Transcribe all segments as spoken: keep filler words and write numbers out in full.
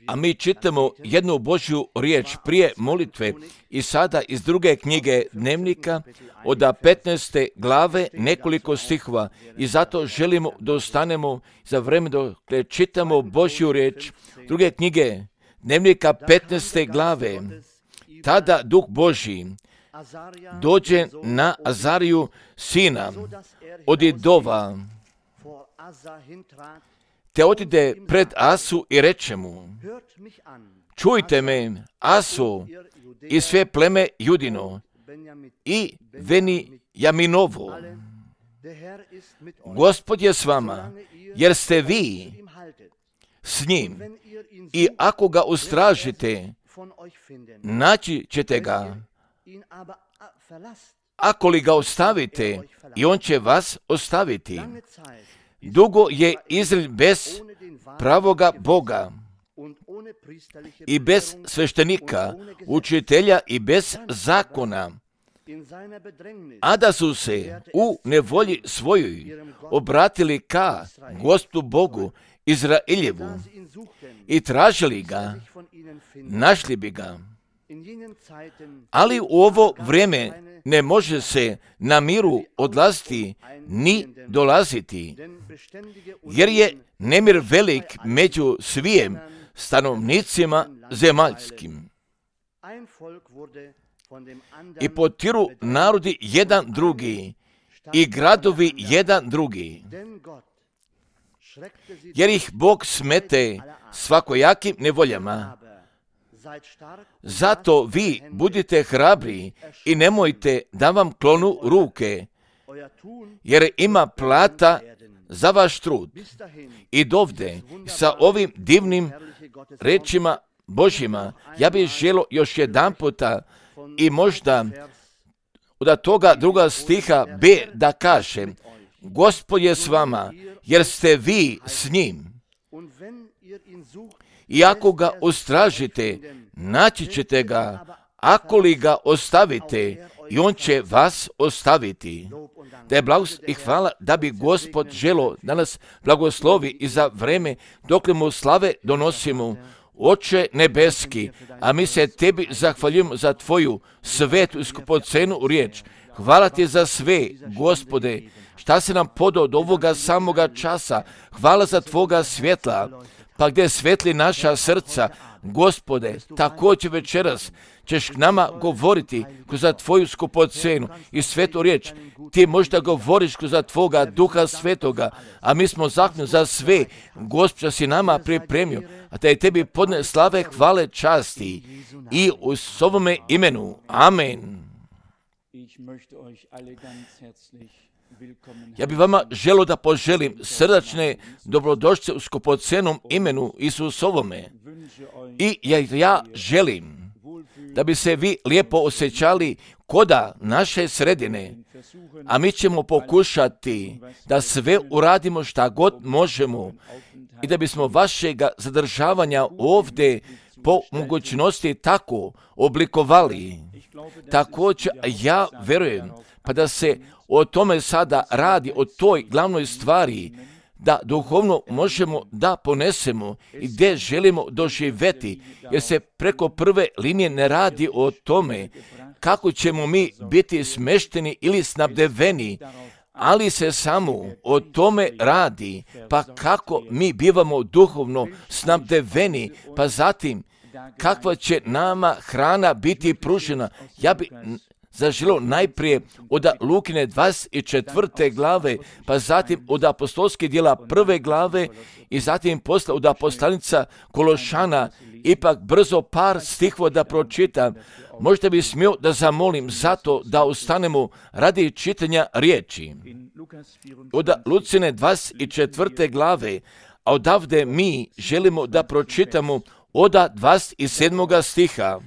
A mi čitamo jednu Božju riječ prije molitve i sada iz druge knjige Dnevnika od petnaeste glave nekoliko stihova i zato želimo da ostanemo za vreme dok čitamo Božju riječ druge knjige Dnevnika petnaeste glave. Tada Duh Božji dođe na Azariju sina od Idova, te otide pred Asu i reče mu: čujte me, Aso, i sve pleme Judino i Venijaminovo. Gospod je s vama, jer ste vi s njim, i ako ga ustražite, naći ćete ga. Ako li ga ostavite, i on će vas ostaviti. Dugo je Izrael bez pravoga Boga i bez sveštenika, učitelja i bez zakona, a da su se u nevolji svojoj obratili ka Gospodu Bogu Izraeljevu i tražili ga, našli bi ga. Ali u ovo vrijeme ne može se na miru odlaziti ni dolaziti, jer je nemir velik među svijem stanovnicima zemaljskim. I potiru narodi jedan drugi i gradovi jedan drugi, jer ih Bog smete svakojakim nevoljama. Zato vi budite hrabri i nemojte da vam klonu ruke, jer ima plata za vaš trud. I dovde, sa ovim divnim rečima Božjima, ja bih želio još jedan puta i možda od toga druga stiha B da kažem: Gospod je s vama, jer ste vi s njim. I ako ga ustražite, naći ćete ga, ako li ga ostavite, i on će vas ostaviti. Da je blagost i hvala da bi Gospod želo da nas blagoslovi i za vreme dok mu slave donosimo. Oče nebeski, a mi se tebi zahvaljujemo za tvoju svetu i skupocenu riječ. Hvala ti za sve, Gospode, šta se nam podao od ovoga samoga časa. Hvala za tvoga svjetla, pa gdje svetli naša srca, Gospode, također večeras ćeš k nama govoriti kroz tvoju skupocenu i svetu riječ. Ti možda govoriš kroz tvoga Duha Svetoga, a mi smo zahvalni za sve, Gospod, si nama pripremio, a da je tebi podne slave, hvale, časti i u ovome imenu. Amen. Ja bih vama želio da poželim srdačne dobrodošlice u skupocenom imenu Isusovome. I ja, ja želim da bi se vi lijepo osjećali koda naše sredine, a mi ćemo pokušati da sve uradimo šta god možemo i da bismo vašega zadržavanja ovdje po mogućnosti tako oblikovali. Također ja verujem pa da se o tome sada radi, o toj glavnoj stvari, da duhovno možemo da ponesemo i gdje želimo doživjeti, jer se preko prve linije ne radi o tome kako ćemo mi biti smešteni ili snabdeveni, ali se samo o tome radi, pa kako mi bivamo duhovno snabdeveni, pa zatim kakva će nama hrana biti pružena. Ja bi zaželio najprije od Lukine dvadeset četvrte glave, pa zatim od apostolskih djela prve glave i zatim posle od poslanica Kološana, ipak brzo par stihova da pročitam. Možda bi smio da zamolim zato da ustanemo radi čitanja riječi. Od Lucine dvadeset četvrte glave, a odavde mi želimo da pročitamo od dvadeset sedmoga stiha.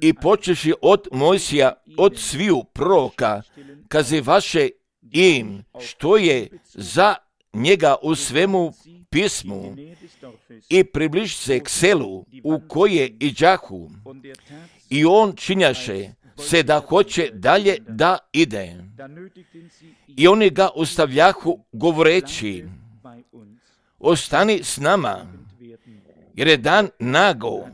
I počeši od Mojsija, od sviju proroka, kazi vaše im, što je za njega u svemu pismu, i približi se k selu u koje iđahu, i on činjaše se da hoće dalje da ide. I oni ga ustavljahu govoreći: ostani s nama, jer je dan nago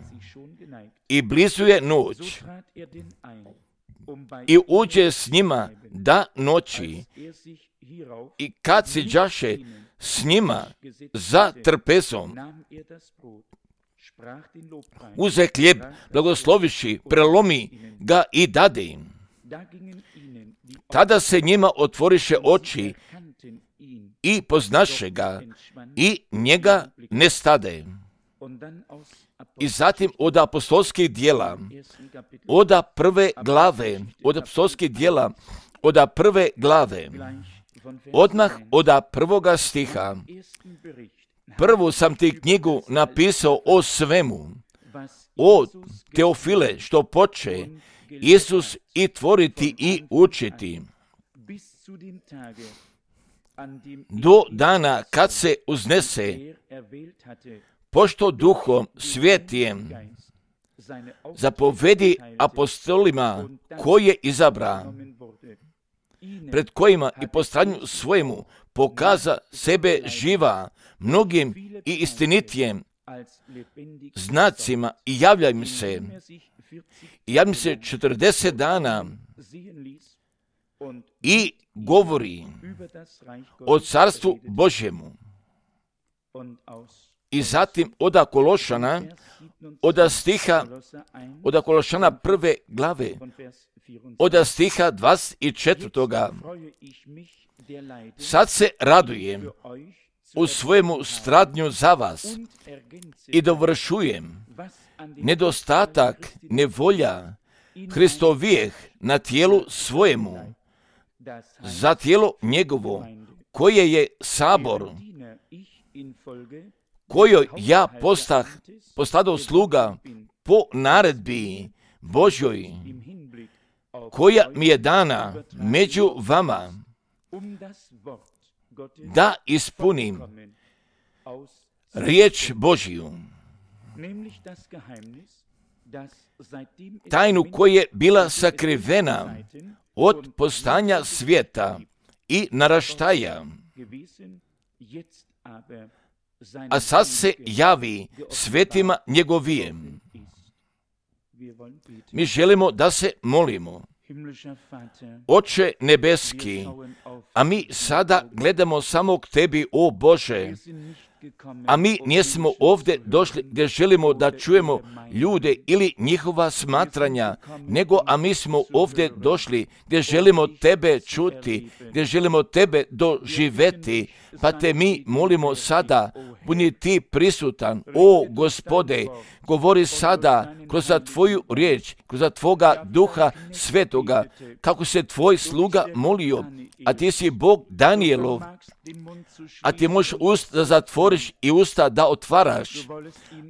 i blizu je noć. I uđe s njima da noći, i kad se đaše s njima za trpezom, uze hljeb, blagosloviši, prelomi ga i dade im. Tada se njima otvoriše oči i poznaše ga i njega ne stade. I zatim od apostolskih dijela, od prve glave, od apostolskih dijela, od prve glave, odmah od prvoga stiha. Prvu sam ti knjigu napisao o svemu, o Teofile, što poče Isus i tvoriti i učiti, do dana kad se uznese, pošto Duhom Svetijem zapovedi apostolima koje izabra, pred kojima i po stranju svojemu pokaza sebe živa mnogim i istinitijem znacima i javlja im se. I javlja im se četrdeset dana i govori o carstvu Božjemu. I zatim oda Kološana, oda stiha, oda Kološana prve glave, oda stiha dvadeset četvrtoga. Sad se radujem u svojemu stradnju za vas i dovršujem nedostatak nevolja Hristovijeh na tijelu svojemu, za tijelo njegovo, koje je sabor, kojoj ja postah, postadao sluga po naredbi Božjoj, koja mi je dana među vama, da ispunim riječ Božju, tajnu koja je bila sakrivena od postanja svijeta i naraštaja, a sad se javi svetima njegovijem. Mi želimo da se molimo. Oče nebeski, a mi sada gledamo samo k tebi, o Bože, a mi nismo ovdje došli gdje želimo da čujemo ljude ili njihova smatranja, nego a mi smo ovdje došli gdje želimo tebe čuti, gdje želimo tebe doživeti, pa te mi molimo sada, budi ti prisutan, o Gospode, govori sada kroz tvoju riječ, kroz tvoga Duha Svetoga, kako se tvoj sluga molio, a ti si Bog Danielov, a ti možeš usta da zatvoriš i usta da otvaraš,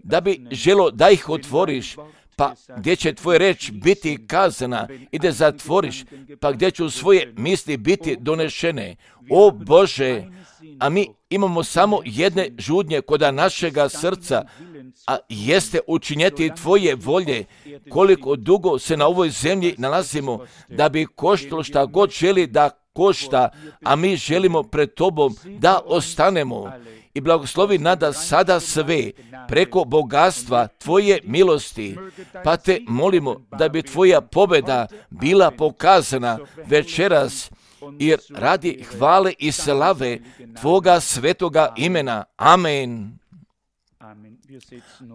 da bi želo da ih otvoriš, pa gdje će tvoja reč biti kazana i da zatvoriš, pa gdje će svoje misli biti donešene. O Bože, a mi imamo samo jedne žudnje kod našega srca, a jeste učinjeti tvoje volje, koliko dugo se na ovoj zemlji nalazimo, da bi koštalo šta god želi da košta, a mi želimo pred tobom da ostanemo. I blagoslovi nada sada sve preko bogatstva tvoje milosti, pa te molimo da bi tvoja pobjeda bila pokazana večeras, jer radi hvale i slave tvoga svetoga imena. Amen.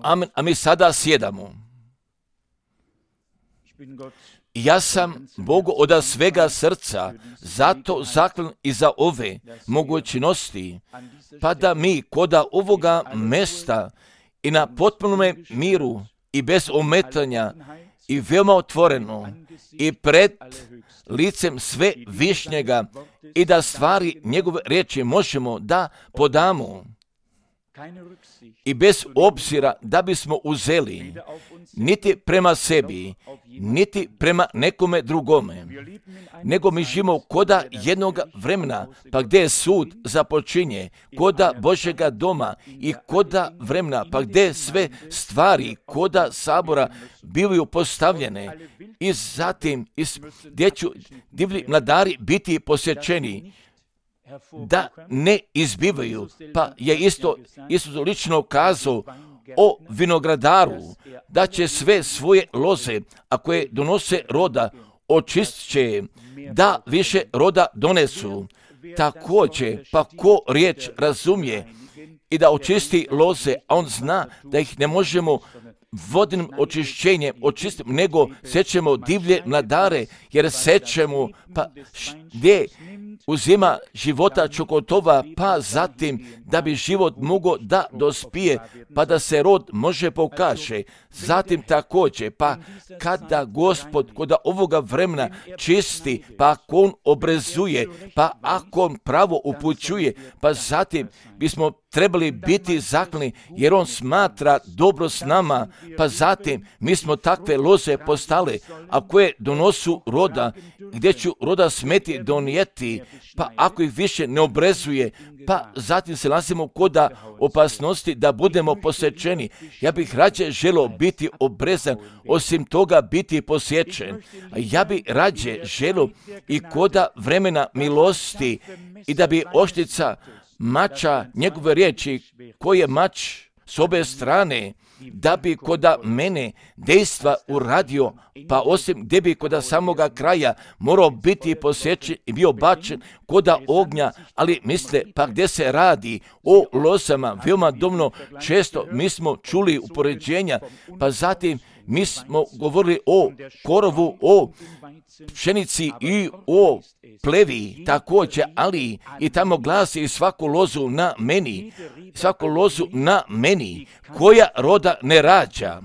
Amen. A mi sada sjedamo. Ja sam Bogu od svega srca zato zahvalan i za ove mogućnosti, pa da mi koda ovoga mesta i na potpunome miru i bez ometanja i veoma otvoreno i pred licem sve višnjega i da stvari njegove riječi možemo da podamo i bez obzira da bismo uzeli niti prema sebi, niti prema nekome drugome, nego mi živimo koda jednog vremena, pa gdje je sud započinje, koda Božjega doma i koda vremena, pa gdje sve stvari koda sabora bivaju postavljene i zatim gdje ću divlji mladari biti posjećeni. da ne izbivaju. Pa je isto Isus lično kazao o vinogradaru, da će sve svoje loze, a koje donose roda, očistit će, da više roda donesu. Također, pa ko riječ razumije i da očisti loze, a on zna da ih ne možemo vodnim očišćenjem očistiti, nego sećemo divlje mladare, jer sećemo, pa gdje uzima života čokotova, pa zatim da bi život mogao da dospije, pa da se rod može pokaže. Zatim također, pa kada Gospod kod ovoga vremena čisti, pa ako on obrezuje, pa ako on pravo upućuje, pa zatim bismo trebali biti zaklani, jer on smatra dobro s nama, pa zatim mi smo takve loze postale, a koje donosu roda, gdje ću roda smeti donijeti, pa ako ih više ne obrezuje, pa zatim se nalazimo kod opasnosti da budemo posjećeni. Ja bih rađe želio biti obrezan, osim toga biti posjećen. A ja bih rađe želio i kod vremena milosti i da bi oštica mača njegove riječi, koji je mač s obe strane, da bi koda mene dejstva uradio, pa osim gdje bi koda samoga kraja morao biti posjećen i bio bačen koda ognja, ali misle, pa gdje se radi o lozama, veoma domno često mi smo čuli upoređenja, pa zatim mi smo govorili o korovu, o pšenici i o plevi također, ali i tamo glasi i svaku lozu na meni, svaku lozu na meni, koja roda ne rađa,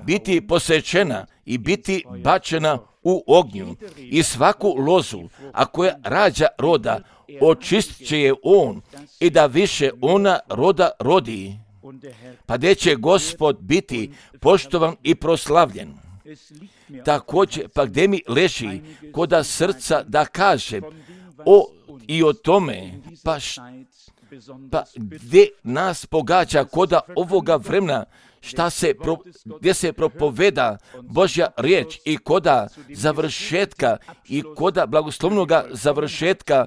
biti posjećena i biti bačena u ognju. I svaku lozu, a koja rađa roda, očistit će je on i da više ona roda rodi. Pa gdje će Gospod biti poštovan i proslavljen. Također, pa gdje mi leži koda srca da kažem o, i o tome, pa, š, pa gdje nas pogađa koda ovoga vremena, šta se, pro, gdje se propoveda Božja riječ i koda završetka i koda blagoslovnoga završetka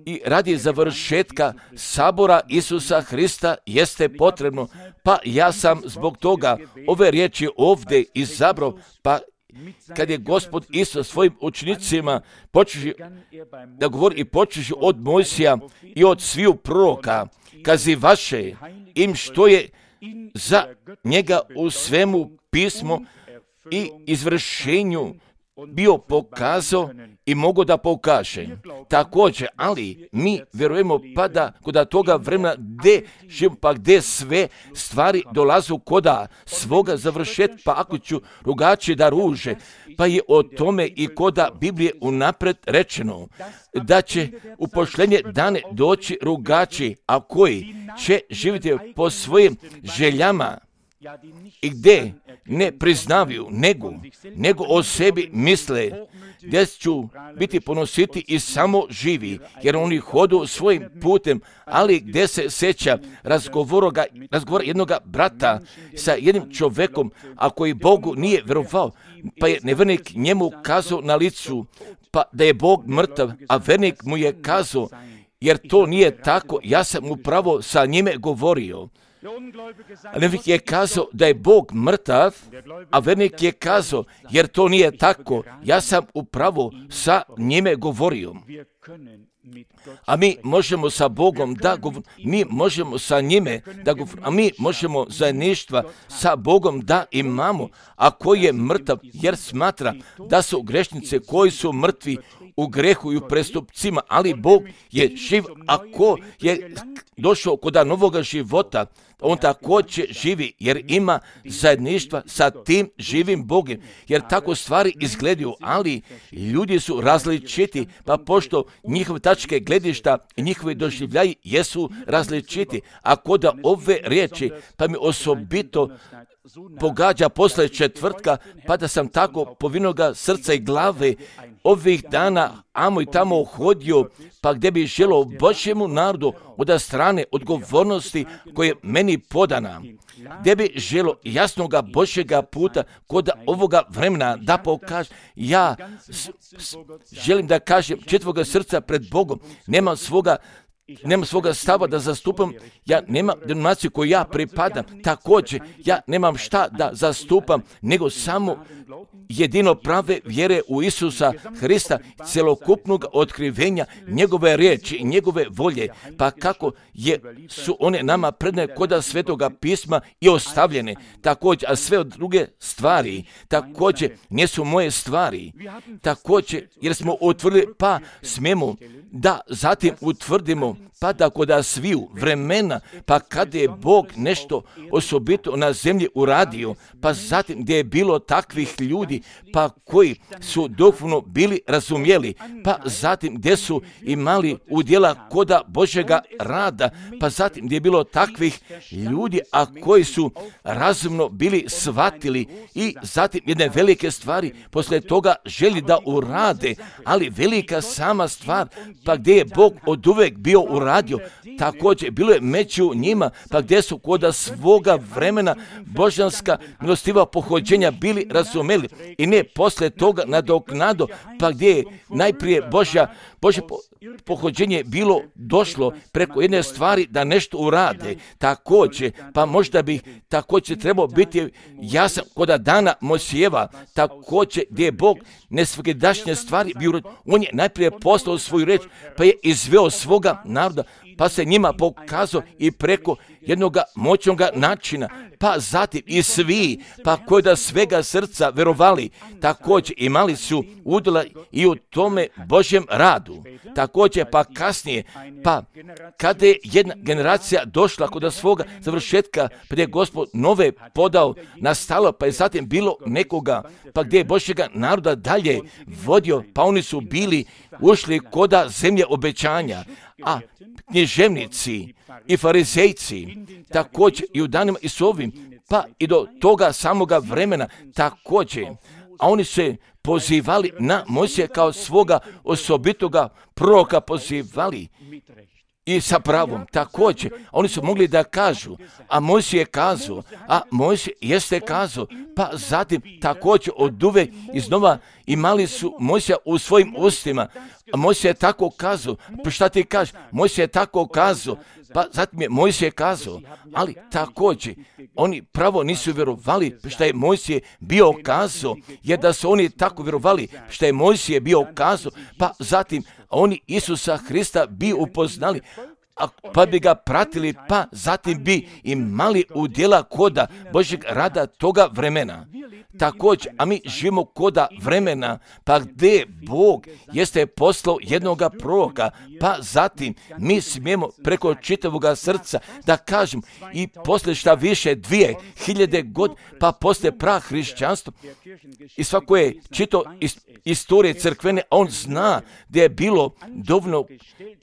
i radi završetka sabora Isusa Hrista jeste potrebno, pa ja sam zbog toga ove riječi ovdje izabrao, pa kad je Gospod Isus svojim učenicima počeši da govori i počeši od Mojsija i od sviju proroka, kazi vaše im što je za njega u svemu pismo i izvršenju bio pokazao i mogu da pokaže. Također, ali mi vjerujemo pa da kod toga vremena gdje živimo, pa gdje sve stvari dolazu koda svoga završetka, pa ako ću rugači da ruže, pa je o tome i koda Biblije unapred rečeno da će u pošljenje dane doći rugači, a koji će živjeti po svojim željama i gdje ne priznavaju nego, nego o sebi misle, gdje ću biti ponositi i samo živi, jer oni hodu svojim putem, ali gdje se seća razgovora, razgovora jednog brata sa jednim čovjekom, a koji Bogu nije vjerovao, pa je nevjernik njemu kazao na licu, pa da je Bog mrtav, a vernik mu je kazao, jer to nije tako, ja sam upravo sa njime govorio. A nevjernik je kazao da je Bog mrtav, a vernik je kazao, jer to nije tako, ja sam upravo sa njime govorio. A mi možemo sa Bogom da govorimo, mi možemo sa njime da govorimo, a mi možemo zajedništva sa Bogom da imamo, a koji je mrtav jer smatra da su grešnice koji su mrtvi u grehu i u prestupcima, ali Bog je živ, ako je došao kod novoga života, on također živi jer ima zajedništva sa tim živim Bogom, jer tako stvari izgledaju, ali ljudi su različiti, pa pošto njihove tačke gledišta i njihovi doživljaji jesu različiti, a kod ove riječi, pa mi osobito pogađa posle četvrtka, pa da sam tako povinoga srca i glave ovih dana amo i tamo hodio, pa gdje bi želo Božjemu narodu od strane odgovornosti koje je meni podana, gdje bi želo jasnoga Božjega puta kod ovoga vremena da pokaže. Ja s, s, želim da kažem četvoga srca pred Bogom, nemam svoga Nemam svoga stava da zastupam, ja nemam denominaciju koju ja pripadam, također ja nemam šta da zastupam, nego samo jedino prave vjere u Isusa Hrista, celokupnog otkrivenja njegove riječi i njegove volje, pa kako je, su one nama predane koda Svetoga pisma i ostavljene, također, a sve od druge stvari, također, nisu moje stvari, također, jer smo utvrdili, pa smijemo da zatim utvrdimo, pa da kod sviju vremena, pa kada je Bog nešto osobito na zemlji uradio, pa zatim gdje je bilo takvih ljudi, pa koji su duhovno bili razumjeli, pa zatim gdje su imali udjela koda Božjega rada, pa zatim gdje je bilo takvih ljudi, a koji su razumno bili shvatili i zatim jedne velike stvari poslije toga želi da urade, ali velika sama stvar, pa gdje je Bog od uvek bio uradio, također bilo je među njima, pa gdje su koda svoga vremena božanska milostiva pohođenja bili razumeli i ne poslije toga nadoknado, pa gdje je najprije Božja, Božje po, pohođenje bilo došlo preko jedne stvari da nešto urade, također, pa možda bi također trebao biti jasan koda dana Mojsijeva, također gdje je Bog nesvakidašnje stvari bio, on je najprije poslao svoju reč, pa je izveo svoga naroda, pa se njima pokazao i preko jednog moćnog načina, pa zatim i svi, pa koji da svega srca verovali, također imali su udjela i u tome Božjem radu. Također pa kasnije, pa kada je jedna generacija došla kod svoga završetka, pa je Gospod nove podao, nastalo, pa je zatim bilo nekoga, pa gdje je Božjega naroda dalje vodio, pa oni su bili ušli koda zemlje obećanja, a književnici i farizejci, također i u danima i s ovim, pa i do toga samoga vremena, također, a oni se pozivali na Mojsija kao svoga osobitoga proroka pozivali i sa pravom, također, oni su mogli da kažu, a Mojsije je kazao, a Mojsije jeste kazao, pa zatim također od uvek iznova imali su Mojsija u svojim ustima, a Mojsije je tako kazao, pa šta ti kažeš, Mojsije je tako kazao, pa zatim je Mojsije kazao, ali također oni pravo nisu vjerovali što je Mojsije bio kazao, jer da su oni tako vjerovali što je Mojsije bio kazao, pa zatim oni Isusa Hrista bi upoznali, a pa bi ga pratili, pa zatim bi imali udjela koda Božjeg rada toga vremena. Također, a mi živimo koda vremena, pa gdje Bog jeste poslao jednoga proroka, pa zatim mi smijemo preko čitavoga srca da kažem i poslije šta više dvije hiljade god, pa poslije prah hrišćanstva i svako je čitao istorije crkvene, on zna gdje je bilo dovoljno,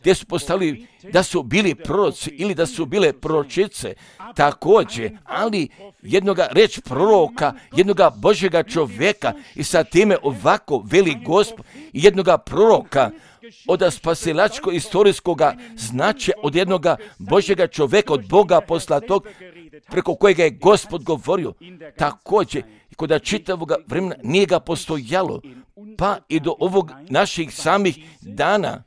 gdje su postali da su bili proroci ili da su bile proročice, također, ali jednoga reč proroka, jednoga Božjega čovjeka i sa time ovako veli Gospod i jednoga proroka od spasilačko istorijskoga značaja, od jednoga Božjega čovjeka, od Boga poslatog, preko kojega je Gospod govorio, također, kod čitavoga vremena nije ga postojalo, pa i do ovog naših samih dana,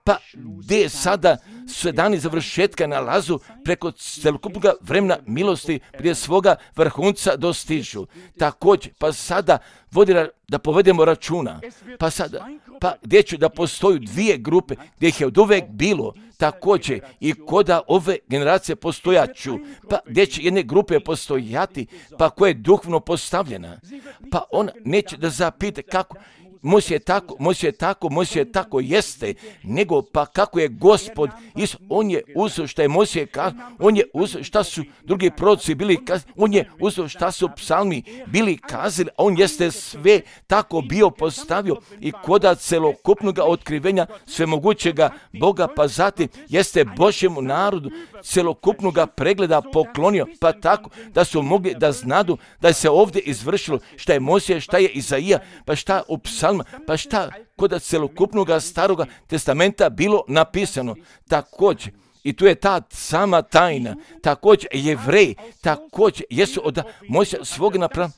pa gdje sada se dani završetka nalazu preko celokupnog vremena milosti gdje svoga vrhunca dostižu. Također, pa sada vodi da povedemo računa, pa sada, pa gdje ću da postoju dvije grupe, gdje ih je od uvek bilo, također i koda ove generacije postojaću, pa gdje će jedne grupe postojati, pa koja je duhovno postavljena, pa ona neće da zapita kako Mojsije tako, Mojsije tako, Mojsije tako jeste, nego pa kako je Gospod, Isus, on je uzeo šta je Mojsije kazao, on je uzeo šta su drugi proroci bili kazali, on je uzeo šta su psalmi bili kazali, a on jeste sve tako bio postavio i koda celokupnog otkrivenja svemogućega Boga, pa zatim jeste Božjemu narodu celokupnog pregleda poklonio, pa tako da su mogli da znadu da se ovdje izvršilo šta je Mojsije, šta je Izaija, pa šta u psalma, pa šta kod celokupnog staroga testamenta bilo napisano. Također, i tu je ta sama tajna, također Jevreji, također jesu od Mojsija svog napravili,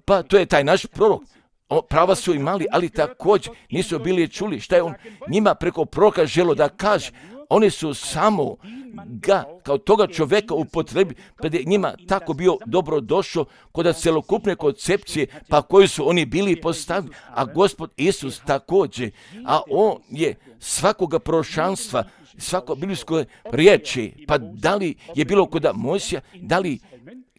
pa to je taj naš prorok. O, prava su imali, ali također nisu bili čuli šta je on njima preko proroka želo da kaže. Oni su samo ga kao toga čovjeka upotrebi, pa je njima tako bio dobro došao kod celokupne koncepcije, pa koji su oni bili postavili, a Gospod Isus također, a on je svakoga proročanstva, svako biblijsko riječi, pa da li je bilo kod Mojsija, da li,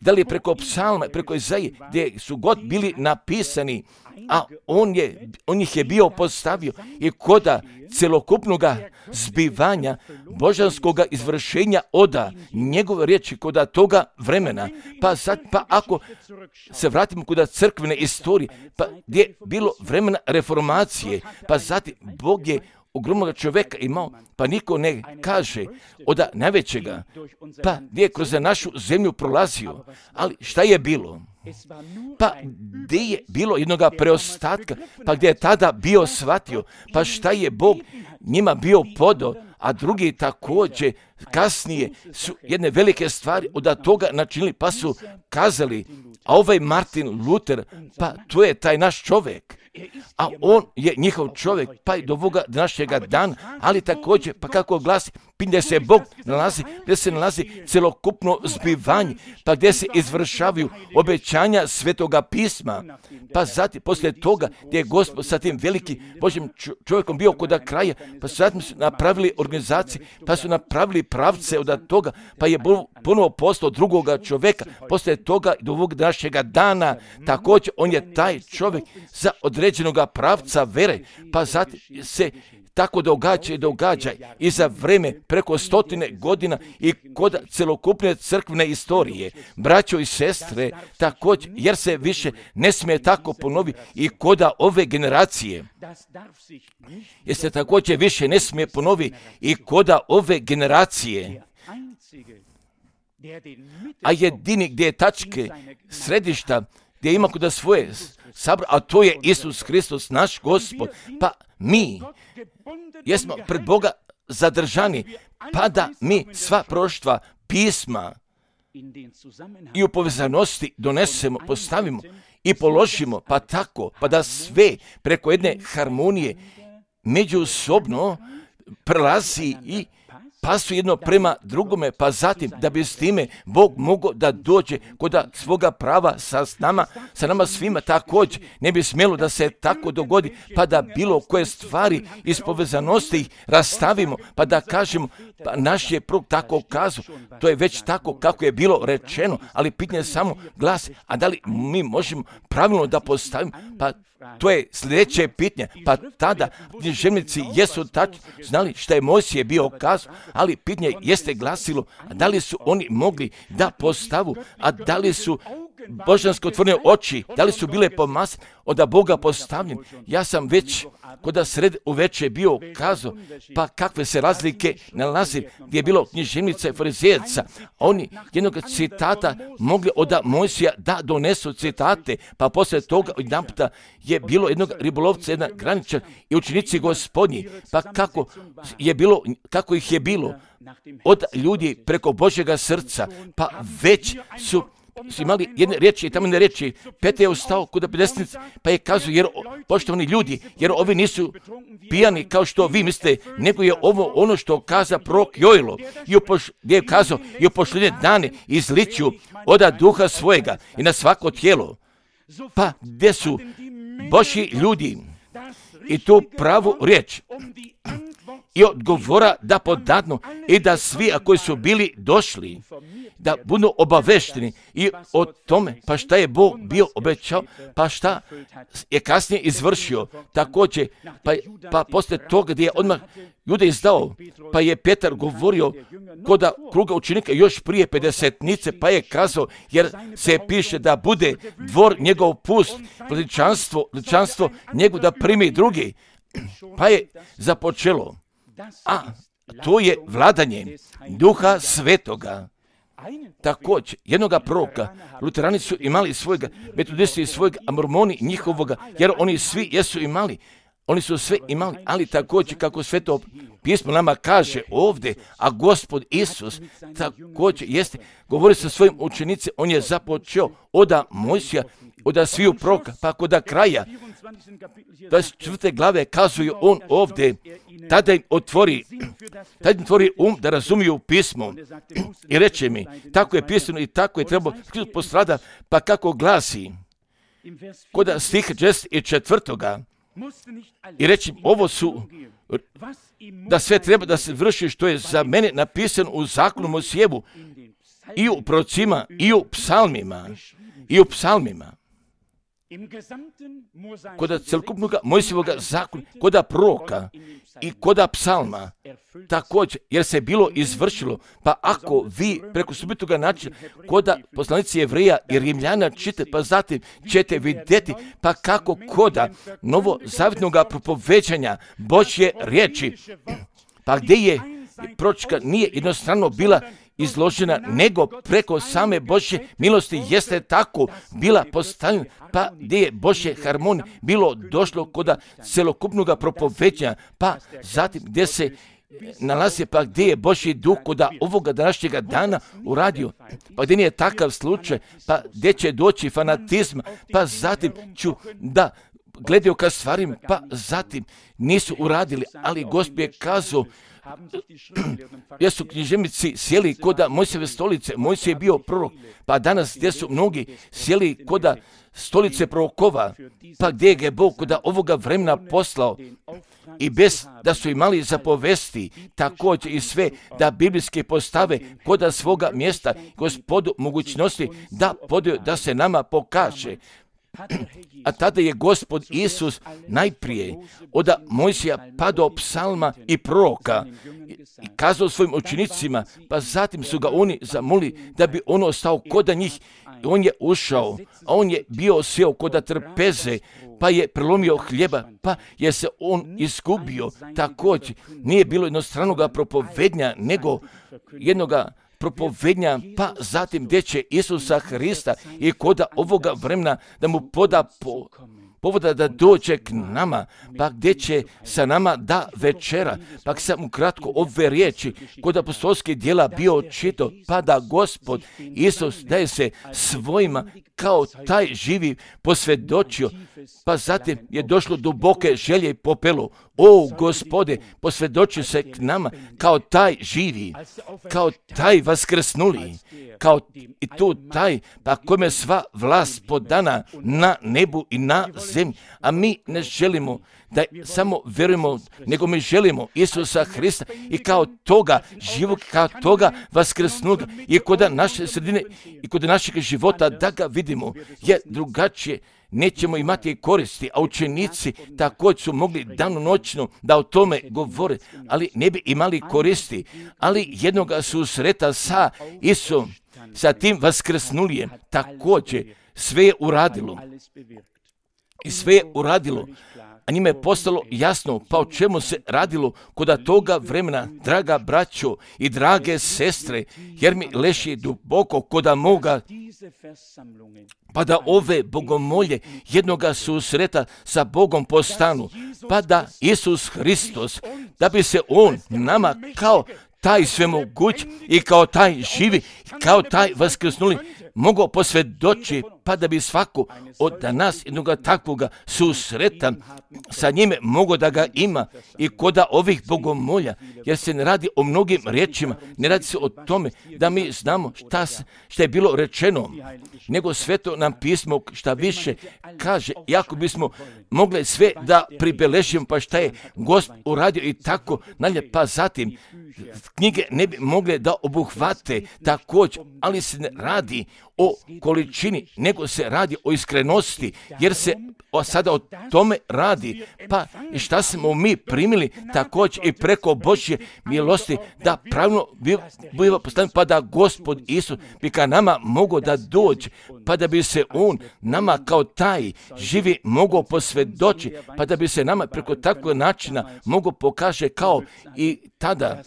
da li je preko psalma, preko Izaije, gdje su god bili napisani, a on, je, on ih je bio postavio i koda celokupnoga zbivanja božanskoga izvršenja oda njegove riječi koda toga vremena. Pa sad, pa ako se vratimo koda crkvene istorije, pa gdje je bilo vremena reformacije, pa zatim Bog je ogromnog čovjeka imao, pa niko ne kaže od najvećega, pa gdje je kroz našu zemlju prolazio, ali šta je bilo? Pa gdje je bilo jednoga preostatka, pa gdje je tada bio shvatio, pa šta je Bog njima bio podo, a drugi također kasnije su jedne velike stvari od toga načinili, pa su kazali, a ovaj Martin Luther, pa to je taj naš čovjek, a on je njihov čovjek, pa i do ovoga današnjega dana, ali također, pa kako glasi, gdje se Bog nalazi, gdje se nalazi celokupno zbivanje, pa gdje se izvršavaju obećanja Svetoga pisma, pa zatim, poslije toga, gdje je Gospod sa tim velikim Božjim čovjekom bio kod kraja, pa su zatim su napravili organizacije, pa su napravili pravce od toga, pa je ponovo postao drugoga čovjeka, poslije toga do ovog današnjega dana, također on je taj čovjek za određenoga pravca vere, pa zatim se tako događa i događa i za vreme preko stotine godina i kod celokupne crkvene istorije. Braćo i sestre, također, jer se više ne smije tako ponovi i koda ove generacije. Jer se također više ne smije ponovi i koda ove generacije. A jedini gdje je tačke središta, gdje ima kod svoje sabor, a to je Isus Hristos, naš Gospod, pa mi jesmo pred Boga zadržani, pa da mi sva proroštva pisma i u povezanosti donesemo, postavimo i položimo, pa tako, pa da sve preko jedne harmonije međusobno prelazi i pasu jedno prema drugome, pa zatim da bi s time Bog mogao da dođe kod svoga prava sa nama, sa nama svima također. Ne bi smjelo da se tako dogodi, pa da bilo koje stvari iz povezanosti ih rastavimo, pa da kažemo, pa naš je prog tako kazao, to je već tako kako je bilo rečeno, ali pitanje samo glasi, a da li mi možemo pravilno da postavimo, pa to je sljedeće pitanje, pa tada književnici jesu tačno znali šta je Mojsije bio kazao, ali pitanje jeste glasilo, a da li su oni mogli da postavu, a da li su božansko otvorene oči, da li su bile pomase od Boga postavljene. Ja sam već koda sred uveče bio kazao, pa kakve se razlike nalazi gdje je bilo književnica i farizejaca. Oni jednog citata mogli od Mojsija da donesu citate, pa poslije toga jedanputa je bilo jednog ribolovca, jedna graničar i učenici Gospodnji, pa kako je bilo, kako ih je bilo od ljudi preko Božjega srca, pa već su su imali jedne riječi i tamo ne riječi. Petar je ustao kod pedesnice, pa je kazao, jer poštovani ljudi, jer ovi nisu pijani kao što vi mislite, nego je ovo ono što kaza prorok Joel, gdje je kazao i u posljednje dane izliću oda duha svojega i na svako tijelo. Pa gdje su Božji ljudi i tu pravu riječ i odgovora da podadnu i da svi, a koji su bili došli, da budu obavešteni i o tome, pa šta je Bog bio obećao, pa šta je kasnije izvršio. Također, pa, pa poslije toga gdje je odmah Jude izdao, pa je Petar govorio koda kruga učenika još prije pedesetnice, pa je kazao, jer se piše da bude dvor njegov pust, veličanstvo, veličanstvo njegov da primi drugi, pa je započelo. A to je vladanje Duha Svetoga. Također, jednoga proroka, luterani su imali svojega, metodisti svojega, a mormoni njihovoga, jer oni svi jesu imali, oni su sve imali, ali također kako Sveto pismo nama kaže ovdje, a Gospod Isus također jeste, govori sa svojim učenicima, on je započeo oda Mojsija, oda sviju proroka, pa koda kraja, dvadeset četvrte glave kazuju on ovdje, tada im otvori, tada im otvori um da razumiju pismo i reče mi, tako je pisano i tako je trebalo postrada, pa kako glasi, koda stih šezdeset četvrtoga i reći, ovo su, da sve treba da se vrši što je za mene napisano u zakonu Mojsijevu i u prorocima i u psalmima i u psalmima. Koda celokupnog Mojsijevoga zakona, koda proroka i koda psalma, također, jer se bilo izvršilo, pa ako vi preko subitoga načina, koda poslanici Jevreja i Rimljana čite, pa zatim ćete vidjeti, pa kako koda novozavjetnog propoveđanja Božje riječi, pa gdje je proročka nije jednostrano bila izložena, nego preko same Božje milosti jeste tako bila postavljena, pa gdje je Božje harmonije bilo došlo koda celokupnog propoveđanja, pa zatim gdje se nalazi, pa gdje je Božji duh koda ovoga današnjega dana uradio, pa gdje nije takav slučaj, pa gdje će doći fanatizma, pa zatim ću da gledaju ka stvarima, pa zatim nisu uradili, ali Gospod je kazao, jer su književnici sjeli koda Mojsijeve stolice, Mojsije je bio prorok, pa danas gdje su mnogi sjeli koda stolice prorokova, pa gdje je Bog koda ovoga vremena poslao i bez da su imali zapovesti, također i sve da biblijske postave koda svoga mjesta, Gospodu mogućnosti da podaju da se nama pokaže. A tada je Gospod Isus najprije od Mojsija pa do psalma i proroka i kazao svojim učenicima, pa zatim su ga oni zamolili da bi on ostao koda njih. On je ušao, a on je bio sjeo koda trpeze, pa je prelomio hljeba, pa je se on izgubio. Također nije bilo jednostranoga propovednja, nego jednoga propovednja, pa zatim gdje će Isusa Hrista i koda ovoga vremena da mu poda po, povoda da dođe k nama, pa gdje će sa nama da večera, pa sam ukratko ove riječi kod apostolskih djela bio čito, pa da Gospod Isus daje se svojima kao taj živi posvjedočio, pa zatim je došlo duboke želje i popelo. O Gospode, posvjedoči se k nama kao taj živi, kao taj vaskrsnuli, kao i tu taj, pa kome sva vlast podana na nebu i na zemlji. A mi ne želimo da samo vjerujemo, nego mi želimo Isusa Hrista i kao toga živog, kao toga vaskrsnuga i kod naše sredine i kod našeg života da ga vidimo, jer drugačije nećemo imati koristi, a učenici također su mogli danonoćno da o tome govore, ali ne bi imali koristi, ali jednoga susreta sa Isusom, sa tim vaskrsnulijem, također sve je uradilo. I sve je uradilo, a njima je postalo jasno pa o čemu se radilo koda toga vremena, draga braćo i drage sestre, jer mi leži duboko koda moga, pa da ove bogomolje jednoga susreta sa Bogom postanu, pa da Isus Hristos, da bi se On nama kao taj svemoguć i kao taj živi, kao taj vaskrsnuli mogao posvjedoči pa da bi svako od nas jednoga takvoga susreta sa njime mogo da ga ima i koda ovih bogomolja, jer se ne radi o mnogim riječima, ne radi se o tome da mi znamo šta, šta je bilo rečeno, nego sveto nam pismo šta više kaže, iako bismo mogli sve da pribeležimo pa šta je Gospod uradio i tako nalje, pa zatim knjige ne bi mogle da obuhvate također, ali se ne radi o količini, nego se radi o iskrenosti, jer se o, sada o tome radi. Pa i šta smo mi primili također i preko Božje milosti, da pravilno biva postavljeno, pa da Gospod Isus bi ka nama mogao da dođe, pa da bi se On nama kao taj živi mogao posvjedoči, pa da bi se nama preko takvog načina mogao pokaže kao i tada.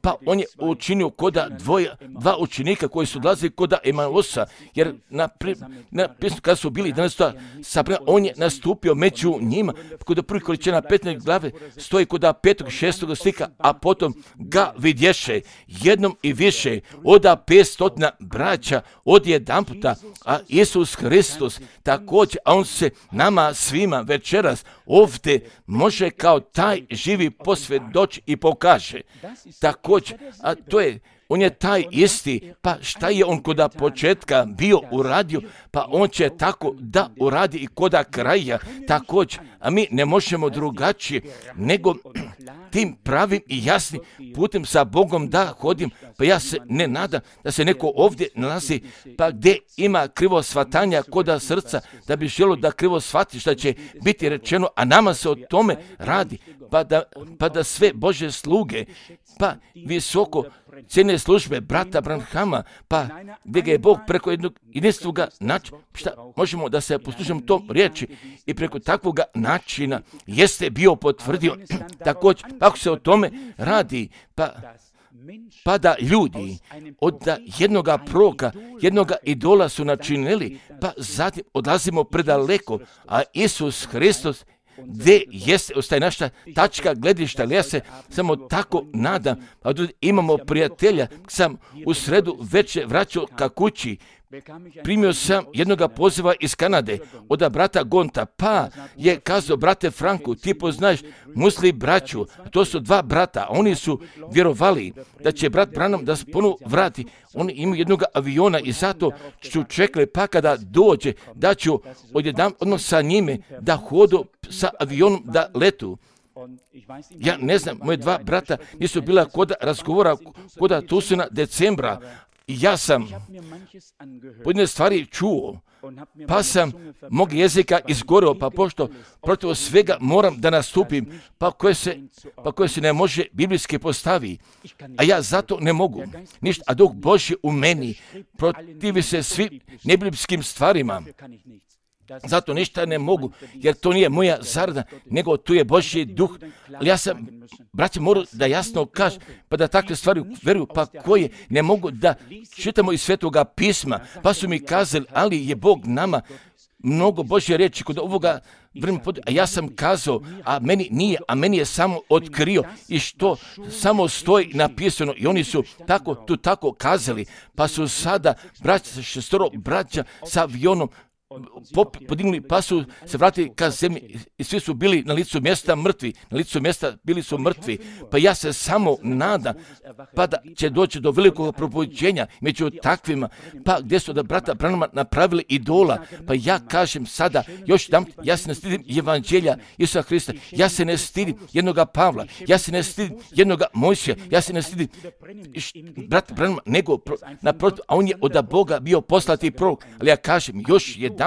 Pa on je učinio koda dvoja, dva učenika koji su odlazili koda Emausa, jer na, pri, na pismu kada su bili danas sabrani, on je nastupio među njima, kod prvih količina petnaeste glave stoji kod petog šestog stika, a potom ga vidješe jednom i više oda petstotina braća od jedan puta, a Isus Hristos također, a on se nama svima večeras ovdje može kao taj živi posvjedoči i pokaže. Također, a to je, on je taj isti, pa šta je on koda početka bio uradio, pa on će tako da uradi i koda kraja također, a mi ne možemo drugačije nego tim pravim i jasnim putem sa Bogom da hodim, pa ja se ne nadam da se neko ovdje nalazi, pa gdje ima krivo shvatanja koda srca, da bi želo da krivo shvati što će biti rečeno, a nama se o tome radi, pa da, pa da sve Božje sluge, pa visoko cijene službe brata Branhama, pa gdje ga je Bog preko jednog jedinstvoga načina, šta možemo da se poslužimo tom riječi i preko takvog načina jeste bio potvrdio također, ako se o tome radi, pa pa da ljudi od jednoga proroka, jednoga idola su načinili, pa zatim odlazimo predaleko, a Isus Hristos gdje jeste, ostaje naša tačka gledišta, ali ja se samo tako nadam, a imamo prijatelja, sam u sredu večer vraćao ka kući, primio sam jednoga poziva iz Kanade, od brata Gonta, pa je kazao, brate Franku, ti poznaješ Musli braću, to su dva brata, oni su vjerovali da će brat Branham da se ponovo vrati, oni imaju jednog aviona i zato ću čekali, pa kada dođe, da ću odjednom odmah sa njime da hodu sa avionom da letu. Ja ne znam, moje dva brata nisu bila koda razgovora, koda Tusina decembra, i ja sam pojedine stvari čuo, pa sam mog jezika izgoreo, pa pošto protiv svega moram da nastupim, pa koje se, pa koje se ne može biblijski postavi, a ja zato ne mogu ništa, a Duh Božji u meni protivi se svim nebiblijskim stvarima. Zato ništa ne mogu, jer to nije moja zarada, nego tu je Božji duh. Ali ja sam, braće, moram da jasno kažem, pa da takve stvari veruju, pa koje ne mogu da čitamo iz Svetoga pisma, pa su mi kazali, ali je Bog nama mnogo Božje riječi kod ovoga vremena, a ja sam kazao, a meni nije, a meni je samo otkrio i što samo stoji napisano i oni su tako, tu tako kazali, pa su sada braća, šestoro braća sa avionom podignuli, pa su se vratili ka zemlji i svi su bili na licu mjesta mrtvi, na licu mjesta bili su mrtvi, pa ja se samo nadam, pa da će doći do velikog probuđenja među takvima, pa gdje su da brata Branhama napravili idola, pa ja kažem sada, još dam, ja se ne stidim evanđelja Isusa Hrista, ja se ne stidim jednoga Pavla, ja se ne stidim jednoga Mojsija, ja se ne stidim brata Branhama, nego naprotiv, a on je od Boga bio poslati prorok, ali ja kažem, još jedan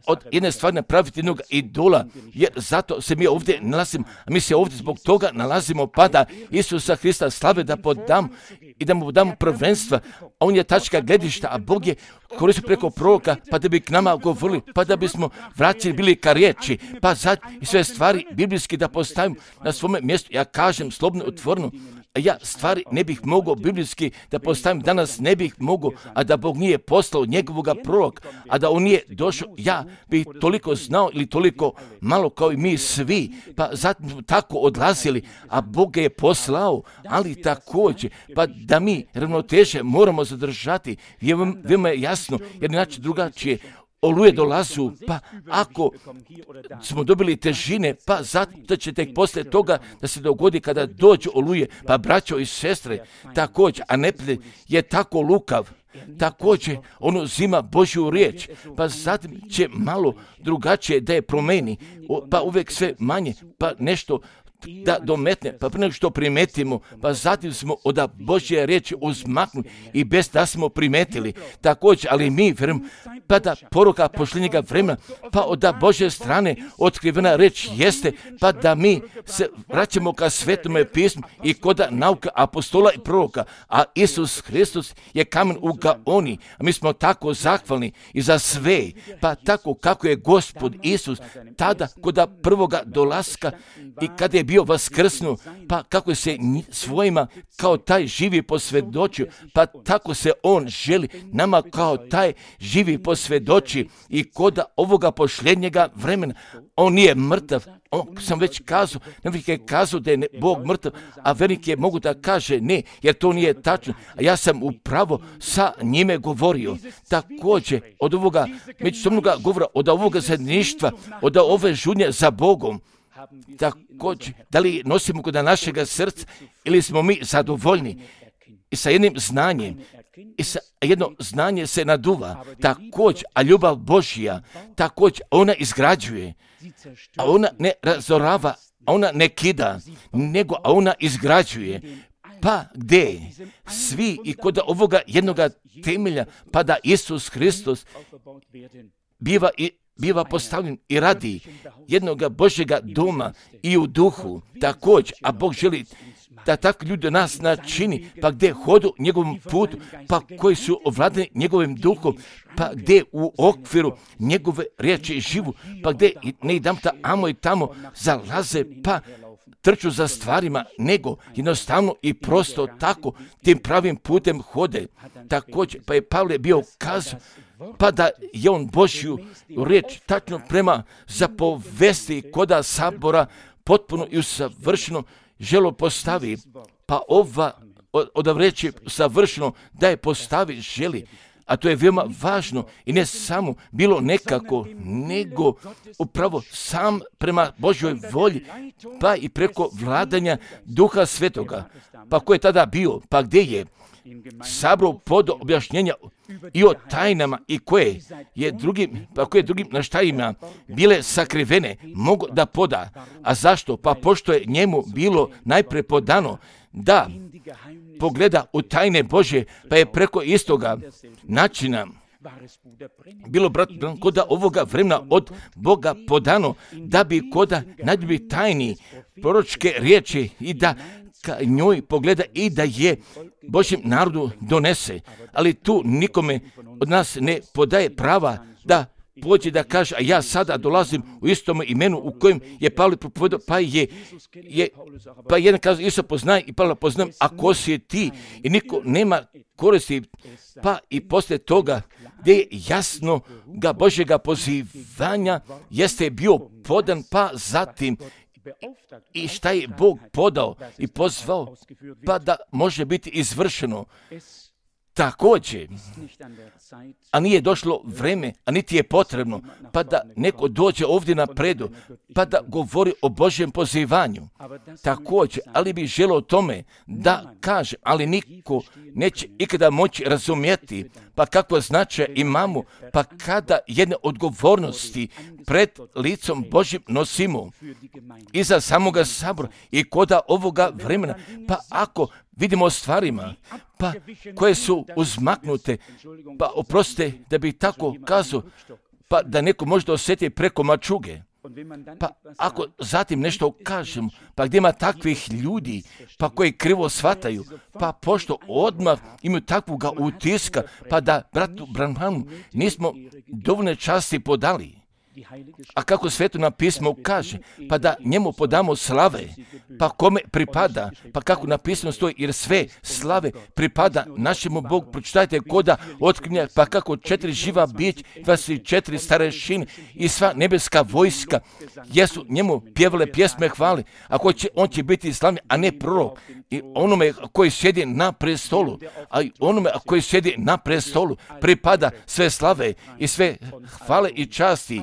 od jedne stvari napraviti jednog idola, jer zato se mi ovdje nalazimo, a mi se ovdje zbog toga nalazimo, pa da Isusa Hrista slave da podam i da mu damo prvenstva, a on je tačka gledišta, a Bog je koristio preko proroka, pa da bi k nama govorili, pa da bismo vraćali bili ka riječi, pa sad i sve stvari biblijski da postavimo na svome mjestu. Ja kažem slobodno, otvoreno, ja stvari ne bih mogao biblijski da postavim danas, ne bih mogao, a da Bog nije poslao njegovoga proroka, a da on nije došao, ja bih toliko znao ili toliko malo kao i mi svi, pa zatim smo tako odlazili, a Bog je poslao, ali također, pa da mi ravnoteže moramo zadržati, veoma je jasno, jer inače drugačije oluje dolazu, pa ako smo dobili težine, pa zato će tek poslije toga da se dogodi kada dođe oluje, pa braćo i sestre, također, a neprijatelj je tako lukav, također on uzima Božju riječ, pa zatim će malo drugačije da je promeni, pa uvijek sve manje, pa nešto da dometne, pa prije nego što primetimo, pa zatim smo od Božje riječi uzmaknuli i bez da smo primetili. Također, ali mi vjerujem, pa da poruka posljednjega vremena, pa od Božje strane otkrivena reč jeste, pa da mi se vraćamo ka Svetome pismu i kod nauka apostola i proroka, a Isus Hristos je kamen u gaoni, a mi smo tako zahvalni i za sve, pa tako kako je Gospod Isus tada kod prvoga dolaska i kada je bio vaskrsnu, pa kako se svojima kao taj živi posvjedočio, pa tako se on želi nama kao taj živi posvjedoči i kod ovoga posljednjega vremena. On nije mrtav, on, sam već kazao, ne je kazao da je Bog mrtav, a vernik je mogu da kaže ne, jer to nije tačno, a ja sam upravo sa njime govorio. Također, od ovoga međusobnoga govora, od ovoga zajedništva, od ove žudnje za Bogom, također, da li nosimo kod našega srca ili smo mi zadovoljni i sa jednim znanjem, i sa jedno znanje se naduva, također, a ljubav Božja, također, ona izgrađuje, a ona ne razorava, a ona ne kida, nego a ona izgrađuje. Pa gdje svi i kod ovoga jednoga temelja, pa da Isus Hristos biva i biva postavljen i radi jednoga Božjega doma i u duhu također, a Bog želi da takvi ljudi nas načini, pa gdje hodu njegovom putu, pa koji su ovladani njegovim duhom, pa gdje u okviru njegove riječi živu, pa gdje ne idam ta amo i tamo zalaze, pa trču za stvarima, nego jednostavno i prosto tako tim pravim putem hode. Također, pa je Pavle bio kazao, pa da je on Božju riječ tačno prema zapovesti koda sabora potpuno i usavršeno želo postavi, pa ova od reći savršeno da je postavi želi, a to je veoma važno i ne samo bilo nekako, nego upravo sam prema Božjoj volji, pa i preko vladanja Duha Svetoga. Pa ko je tada bio, pa gdje je sabrao pod objašnjenja i o tajnama i koje je drugim, pa koje drugim naštajima bile sakrivene, mogu da poda. A zašto? Pa pošto je njemu bilo najpre podano da pogleda u tajne Božje, pa je preko istoga načina bilo, brat, koda ovoga vremena od Boga podano, da bi koda najbolji tajni proročke riječi i da ka njoj pogleda i da je Božjem narodu donese. Ali tu nikome od nas ne podaje prava da pođe da kaže, a ja sada dolazim u istom imenu u kojem je Pavle propovedao, pa je, je pa jedan kaže, Isus poznaje i Pavle poznaje, a ko si ti? I niko nema koristi, pa i poslije toga, gdje je jasno ga Božjega pozivanja jeste bio podan, pa zatim i šta je Bog podao i pozvao, pa da može biti izvršeno. Također, a nije došlo vreme, a niti je potrebno, pa da neko dođe ovdje na predu, pa da govori o Božjem pozivanju. Također, ali bi želio o tome da kaže, ali niko neće ikada moći razumjeti, pa kakvo značaj imamo, pa kada jedne odgovornosti pred licom Božjim nosimo iza samoga sabora i koda ovoga vremena, pa ako vidimo stvarima, pa koje su uzmaknute, pa oprostite da bi tako kazao, pa da neko možda osjeti preko mačuge. Pa ako zatim nešto kažemo, pa gdje ima takvih ljudi, pa koji krivo shvataju, pa pošto odmah imaju takvoga utiska, pa da bratu Branhanu nismo dovoljne časti podali. A kako sveto pismo kaže, pa da njemu podamo slave, pa kome pripada, pa kako napisano stoji, jer sve slave pripada našemu Bogu. Pročitajte koda otkrinja, pa kako četiri živa bića, dvadeset četiri starešine i sva nebeska vojska jesu njemu pjevale pjesme hvale, a ko će, on će biti slavni, a ne prorok. I onome koji sjedi na prestolu, a i onome koji sjedi na prestolu pripada sve slave i sve hvale i časti,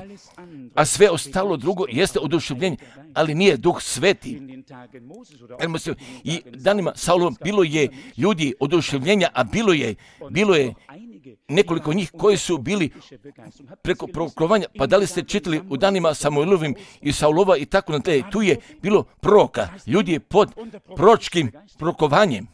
a sve ostalo drugo jeste oduševljenje, ali nije Duh Sveti. I danima Saulom bilo je ljudi oduševljenja, a bilo je, bilo je nekoliko njih koji su bili preko proklovanja. Pa da li ste čitali u danima Samuelovim i Saulova i tako na tle, tu je bilo proroka, ljudi pod proročkim prokovanjem.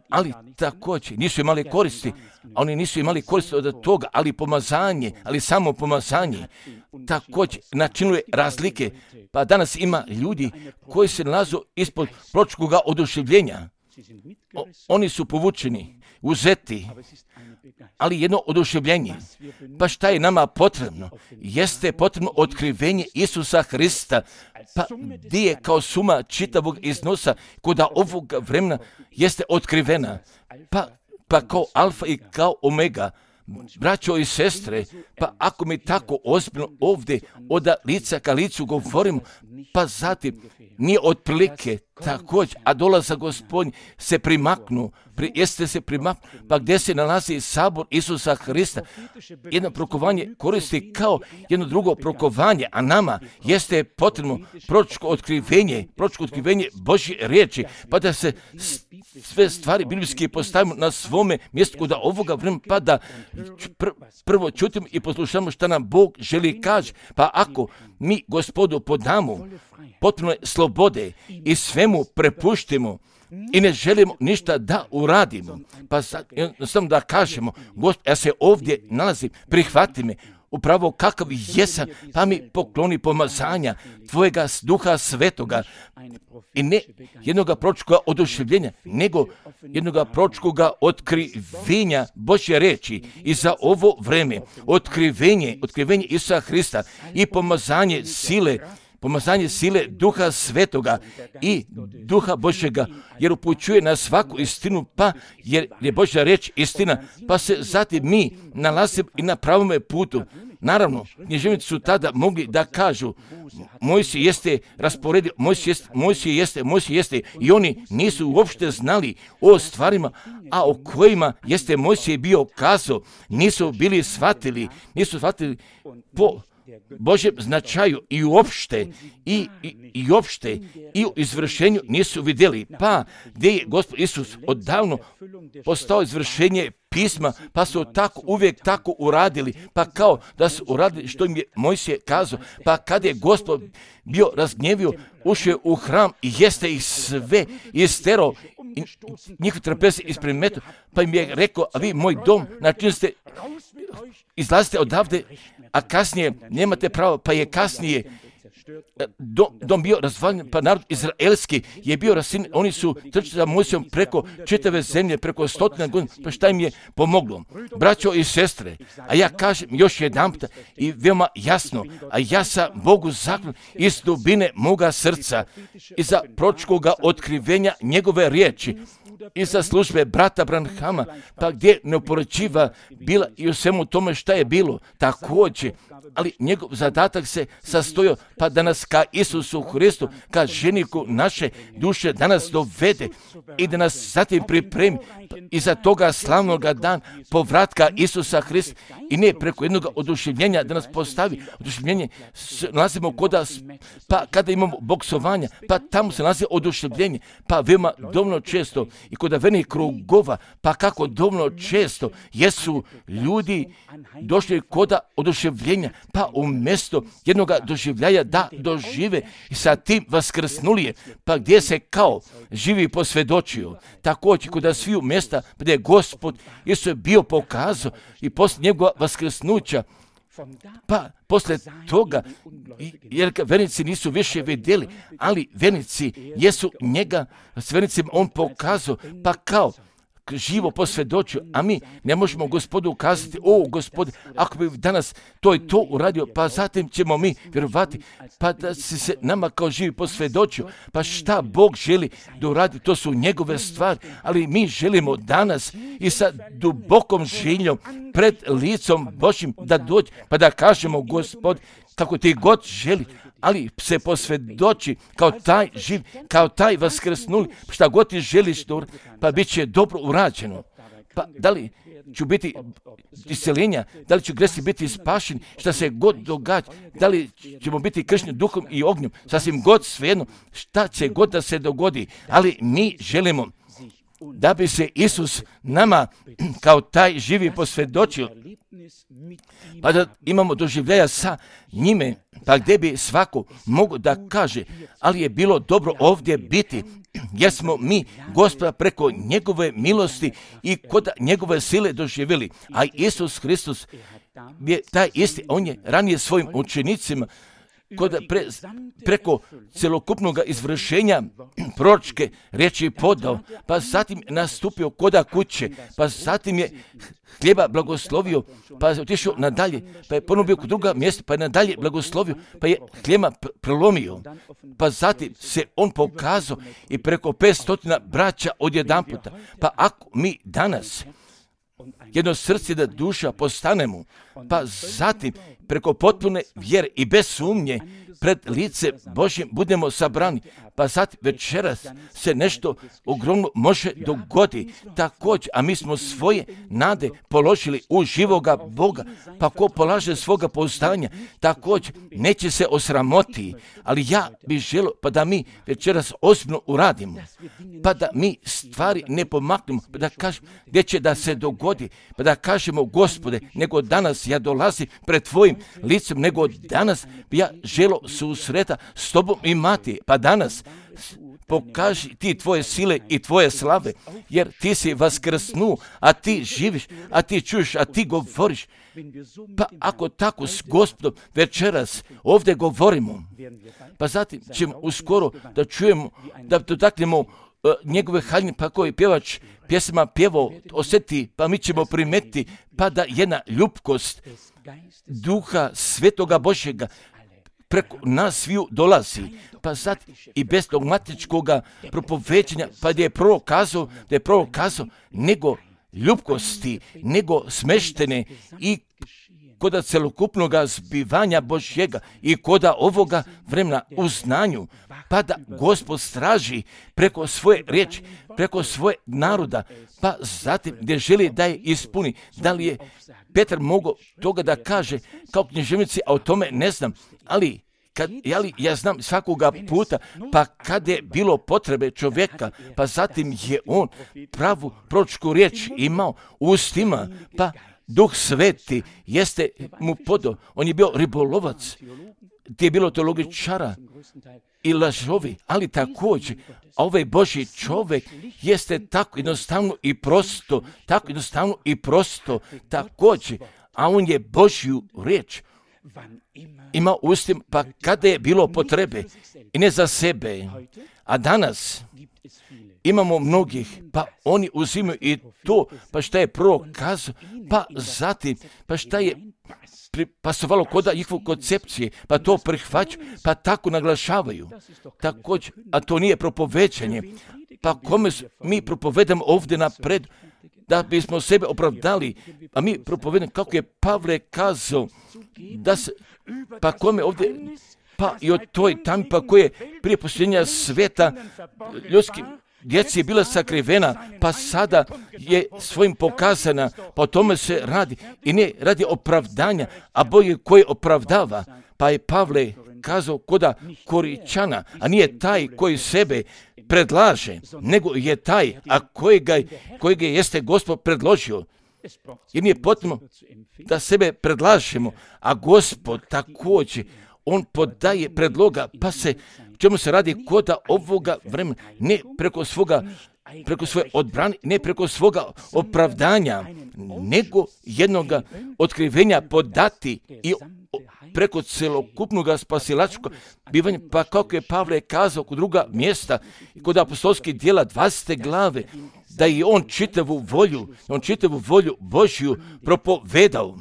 Ali također nisu imali koristi, a oni nisu imali koristi od toga, ali pomazanje, ali samo pomazanje također načinuje razlike. Pa danas ima ljudi koji se nalazu ispod proročkog oduševljenja. O, oni su povučeni, uzeti, ali jedno oduševljenje. Pa šta je nama potrebno? Jeste potrebno otkrivenje Isusa Hrista, pa gdje je kao suma čitavog iznosa koda ovog vremena jeste otkrivena, pa, pa kao alfa i kao omega. Braćo i sestre, pa ako mi tako ozbiljno ovdje od lica ka licu govorimo, pa zatim nije otprilike također, a dolazak Gospodnji se primaknu, pri, jeste se primaknu, pa gdje se nalazi sabor Isusa Hrista, jedno prokovanje koristi kao jedno drugo prokovanje, a nama jeste potrebno proročko otkrivenje, proročko otkrivenje Božje riječi, pa da se sve stvari biblijske postavimo na svome mjestu kod ovoga vremena, pa da pr- prvo čutimo i poslušamo šta nam Bog želi kaži. Pa ako mi Gospodu podamo potpuno slobode i svemu prepuštimo i ne želimo ništa da uradimo, pa samo da kažemo, Gospod, ja se ovdje nalazim, prihvati me, upravo kakav jesam, pa mi pokloni pomazanja Tvojega Duha Svetoga i ne jednoga proročkoga oduševljenja, nego jednoga proročkoga otkrivenja Božje riječi i za ovo vreme otkrivenje, otkrivenje Isusa Hrista i pomazanje sile, pomazanje sile Duha Svetoga i Duha Božjega, jer upućuje na svaku istinu, pa jer je Božja riječ istina, pa se zatim mi nalazimo i na pravome putu. Naravno, književnici su tada mogli da kažu, Mojsije jeste rasporedio, Mojsije jeste, Mojsije jeste, Mojsije jeste, i oni nisu uopšte znali o stvarima, a o kojima jeste Mojsije bio kazao, nisu bili shvatili, nisu shvatili po Božjem značaju i uopšte, i, i, i uopšte, i u izvršenju nisu vidjeli. Pa gdje je Gospod Isus odavno postao izvršenje pisma, pa su tako uvijek tako uradili, pa kao da su uradili što im je Mojsije kazao, pa kada je Gospod bio razgnjevio, ušao u hram i jeste ih sve isterao, njihov trpez ispred metu, pa im je rekao, a vi moj dom, na čim ste, izlazite odavde, a kasnije nemate pravo, pa je kasnije dom, dom bio razvaljen, pa narod izraelski je bio rasin, oni su trčali za Mojsijom preko čitave zemlje, preko stotina godina, pa šta im je pomoglo? Braćo i sestre, a ja kažem još jedanput i veoma jasno, a ja sam Bogu zahvalan iz dubine moga srca i za proročkoga otkrivenja njegove riječi i za službe brata Branhama, pa gdje neopoređiva bila i u svemu tome šta je bilo, također, ali njegov zadatak se sastojio pa da nas ka Isusu Hristu, ka ženiku naše duše danas dovede i da nas zatim pripremi i za toga slavnoga dan povratka Isusa Hrista i ne preko jednog oduševljenja da nas postavi. Oduševljenje nalazimo koda, pa kada imamo boksovanja, pa tamo se nalazi oduševljenje, pa veoma dovoljno često i kod venih krugova, pa kako dovoljno često jesu ljudi došli koda oduševljenja, pa umjesto jednog doživljaja da dožive i sa tim vaskrsnulije, pa gdje se kao živi posvjedočio. Također kod sviju mjesta gdje je Gospod Isus bio pokazao i poslije njegova vaskrsnuća, pa poslije toga, jer vernici nisu više vidjeli, ali vernici jesu njega, s vernicima on pokazao, pa kao živo posvjedočio, a mi ne možemo Gospodu ukazati, o Gospod, ako bi danas to i to uradio, pa zatim ćemo mi vjerovati, pa da si se nama kao živi posvjedočio, pa šta Bog želi da uradi, to su njegove stvari, ali mi želimo danas i sa dubokom željom pred licom Božjim da dođe, pa da kažemo, Gospod, kako ti god želi, ali se posvjedoči kao taj živ, kao taj vaskrsnuli, šta god ti želiš, pa bit će dobro urađeno. Pa da li ću biti isceljenja, da li ću gresi biti spašeni, šta se god događa, da li ćemo biti kršteni duhom i ognjem, sasvim god svejedno, šta će god da se dogodi, ali mi želimo da bi se Isus nama kao taj živi posvjedočio, pa da imamo doživljaja sa njime, pa gdje bi svako mogu da kaže, ali je bilo dobro ovdje biti, jer smo mi Gospoda preko njegove milosti i kod njegove sile doživjeli, a Isus Hristos je taj isti, on je ranije svojim učenicima kod pre, preko celokupnog izvršenja proročke riječi podao, pa zatim nastupio koda kuće, pa zatim je hljeba blagoslovio, pa je otišao nadalje, pa je ponovno bio kod druga mjesta, pa je nadalje blagoslovio, pa je hljeba prelomio, pa zatim se on pokazao i preko petstotina braća odjedanputa. Pa ako mi danas jedno srce da duša postanemo, pa zatim preko potpune vjere i bez sumnje pred lice Božjim budemo sabrani, pa zatim večeras se nešto ogromno može dogoditi također, a mi smo svoje nade položili u živoga Boga, pa ko polaže svoga pouzdanja, također neće se osramoti, ali ja bih želio pa da mi večeras ozbiljno uradimo, pa da mi stvari ne pomaknemo, pa da kažemo gdje će da se dogodi, pa da kažemo, Gospode, nego danas ja dolazim pred tvojim licem, nego danas bi ja želio susreta s tobom imati, pa danas pokaži ti tvoje sile i tvoje slave, jer ti si vaskrsnuo, a ti živiš, a ti čuješ, a ti govoriš. Pa ako tako s Gospodom večeras ovdje govorimo, pa zatim ćemo uskoro da čujemo, da dotaknemo uh, njegove haljine, pa koji pjevač pjesama pjevao, osjeti, pa mi ćemo primetiti, pa da jedna ljubkost Duha Svetoga Božjega preko nas sviju dolazi, pa sad i bez dogmatičkog propoveđenja, pa da je prorok kazao, da je prorok kazao, nego ljubkosti, nego smeštene i koda celokupnog zbivanja Božjega i koda ovoga vremena u znanju, pa da Gospod straži preko svoje riječi, preko svoje naroda, pa zatim gdje želi da je ispuni. Da li je Petar mogao toga da kaže kao književnici, a o tome ne znam, ali Kad, jeli, ja znam svakoga puta, pa kad je bilo potrebe čovjeka, pa zatim je on pravu proročku riječ imao u ustima, pa Duh Sveti jeste mu podao. On je bio ribolovac, gdje je bilo teologičara i lažovi, ali također, a ovaj Božji čovjek jeste tako jednostavno i prosto, tako jednostavno i prosto, također, a on je Božju riječ ima ustim, pa kada je bilo potrebe i ne za sebe, a danas imamo mnogih, pa oni uzimaju i to, pa šta je prorok kazao, pa zatim, pa šta je pasovalo koda njihovu koncepcije, pa to prihvaćaju, pa tako naglašavaju. Također, a to nije propoveđanje, pa kome mi propovedamo ovdje napred, da bismo sebe opravdali, a mi propovedamo kako je Pavle kazao, da se, pa kome ovdje, pa i od toj tami, pa koje prije posljednja sveta ljudskim djeci je bila sakrivena, pa sada je svojim pokazana, pa o tome se radi i ne radi opravdanja, a Bog je koji opravdava, pa je Pavle kazao koda Koričana, a nije taj koji sebe predlaže, nego je taj, a kojega, kojega jeste Gospod predložio. Jer nije potrebno da sebe predlažemo, a Gospod također, on podaje predloga, pa se, čemu se radi koda ovoga vremena, ne preko svoga, preko svoje odbrane, ne preko svoga opravdanja, nego jednoga otkrivenja podati i preko celokupnog spasilačkog bivanja, pa kako je Pavle kazao kod druga mjesta i kod apostolskih djela dvadesete glave, da je on čitavu volju, on čitavu volju Božju propovedao.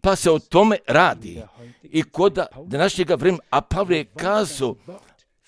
Pa se o tome radi. I kod današnjega vremena, a Pavle je kazao,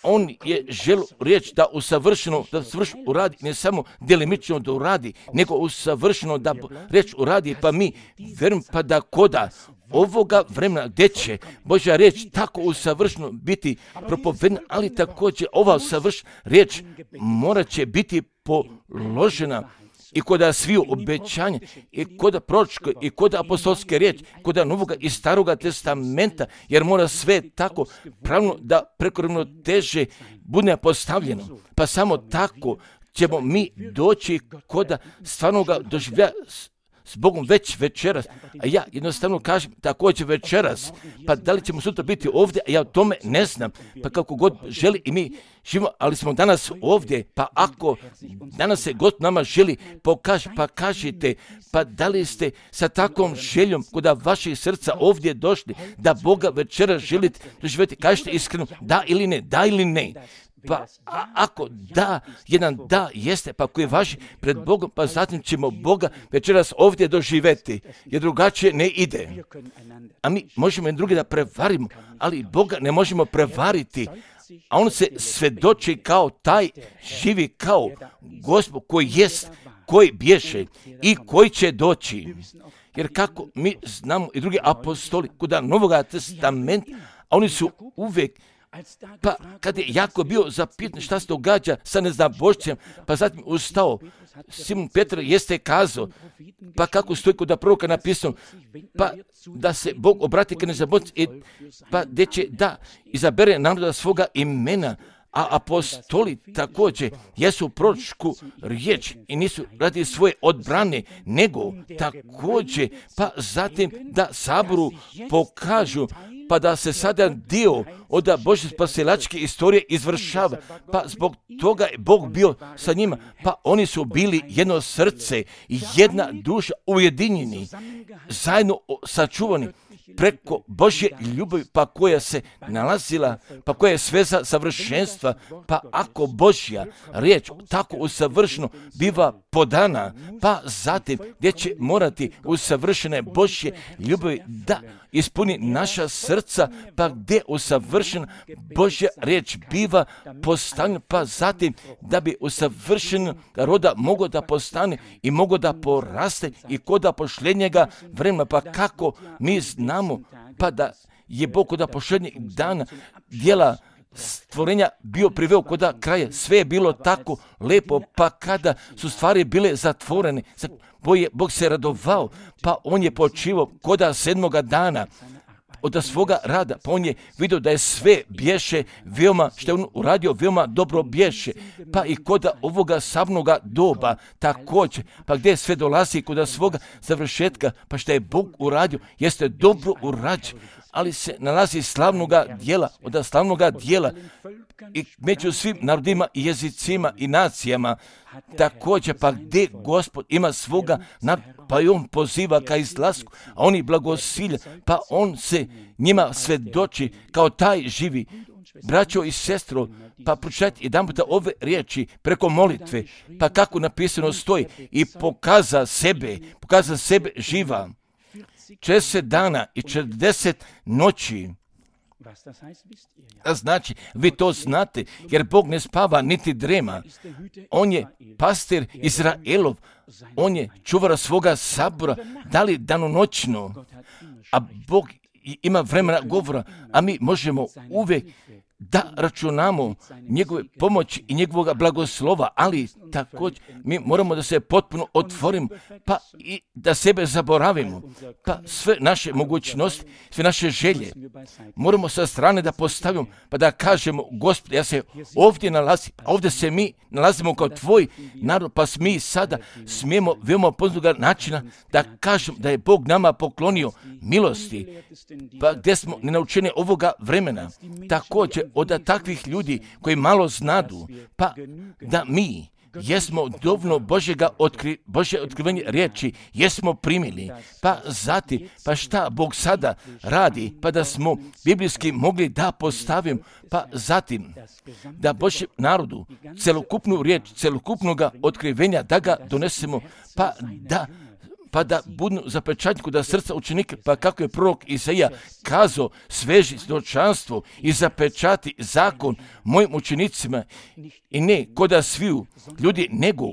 on je želio riječ da usavršeno, da savršeno uradi, ne samo delimično da uradi, nego usavršeno da riječ uradi, pa mi verujem pa da koda ovoga vremena gdje će Božja riječ tako usavršeno biti propovedena, ali također ova usavršena riječ morat će biti položena i kod sviju obećanja, i kod proročke, i kod apostolske riječi, kod Novoga i Staroga testamenta, jer mora sve tako pravno da preko teže bude postavljeno. Pa samo tako ćemo mi doći kod stvarnoga doživljaja s Bogom već večeras, a ja jednostavno kažem također večeras, pa da li ćemo sutra biti ovdje, a ja o tome ne znam, pa kako god želi i mi živimo, ali smo danas ovdje, pa ako danas se God nama želi pokaži, pa kažite, pa da li ste sa takvom željom kod vaših srca ovdje došli, da Boga večeras želite doživjeti, kažete iskreno, da ili ne, da ili ne. Pa a, ako da, jedan da jeste, pa koji važi pred Bogom, pa zatim ćemo Boga večeras ovdje doživjeti, jer drugačije ne ide. A mi možemo i drugi da prevarimo, ali Boga ne možemo prevariti, a on se svedoči kao taj, živi kao Gospod koji jest, koji bješe i koji će doći. Jer kako mi znamo i drugi apostoli kod Novoga testamenta, a oni su uvijek, pa kad je Jakov bio zapitan šta se događa sa neznabošćem, pa zatim ustao, Simon Petar jeste kazao, pa kako stoji kod proroka napisano, pa da se Bog obrati ka neznabošćem, pa gdje će da izabere naroda svoga imena, a apostoli također jesu proročku riječ i nisu radi svoje odbrane, nego također, pa zatim da saboru pokažu, pa da se sada dio od Božje spasilačke istorije izvršava, pa zbog toga je Bog bio sa njima, pa oni su bili jedno srce i jedna duša ujedinjeni, zajedno sačuvani preko Božje ljubavi, pa koja se nalazila, pa koja je sveza savršenstva, pa ako Božja riječ tako usavršeno biva podana, pa zatim gdje će morati usavršene Božje ljubavi da ispuni naša srca, pa gdje usavršena Božja riječ biva postavljena, pa zatim da bi usavršena roda mogao da postane i mogao da poraste i kod pošljenjega vremena, pa kako mi znamo, pa da je Bog kod pošljenjeg dana djela stvorenja bio priveo kod kraja, sve je bilo tako lepo, pa kada su stvari bile zatvorene, Bog se radovao, pa on je počivao kod sedmoga dana od svoga rada, pa on je vidio da je sve bješe veoma, što je on uradio, veoma dobro bješe, pa i kod ovoga samnoga doba također, pa gdje sve dolazi kod svoga završetka, pa što je Bog uradio, jeste dobro urađeno, ali se nalazi slavnoga dijela, od slavnoga dijela i među svim narodima i jezicima i nacijama, također pa gdje Gospod ima svoga naroda, pa i on poziva ka izlasku, a oni blagosilja, pa on se njima svedoči kao taj živi. Braćo i sestro, pa pročitajte jedan puta ove riječi preko molitve, pa kako napisano stoji, i pokaza sebe, pokaza sebe živa. četrdeset dana i četrdeset noći. A znači, vi to znate, jer Bog ne spava niti drema. On je pastir Izraelov, on je čuvar svoga sabora, da li danonoćno, a Bog ima vremena govora, a mi možemo uvijek da računamo njegove pomoći i njegovog blagoslova, ali također mi moramo da se potpuno otvorimo, pa i da sebe zaboravimo, pa sve naše mogućnosti, sve naše želje moramo sa strane da postavimo, pa da kažemo, Gospod, ja se ovdje nalazim, ovdje se mi nalazimo kao tvoj narod, pa mi sada smijemo veoma poznatog načina da kažemo da je Bog nama poklonio milosti, pa gdje smo nenaučeni ovoga vremena, također od takvih ljudi koji malo znadu, pa da mi jesmo dovoljno Božjega otkri, Božje otkrivanje riječi, jesmo primili. Pa zatim, pa šta Bog sada radi, pa da smo biblijski mogli da postavim, pa zatim da Božjem narodu celokupnu riječ, celokupnoga otkrivenja da ga donesemo, pa da pa da budu zapečatni kod srca učenika, pa kako je prorok Isaija kazao, sveži svjedočanstvo i zapečati zakon mojim učenicima, i ne koda sviju ljudi, nego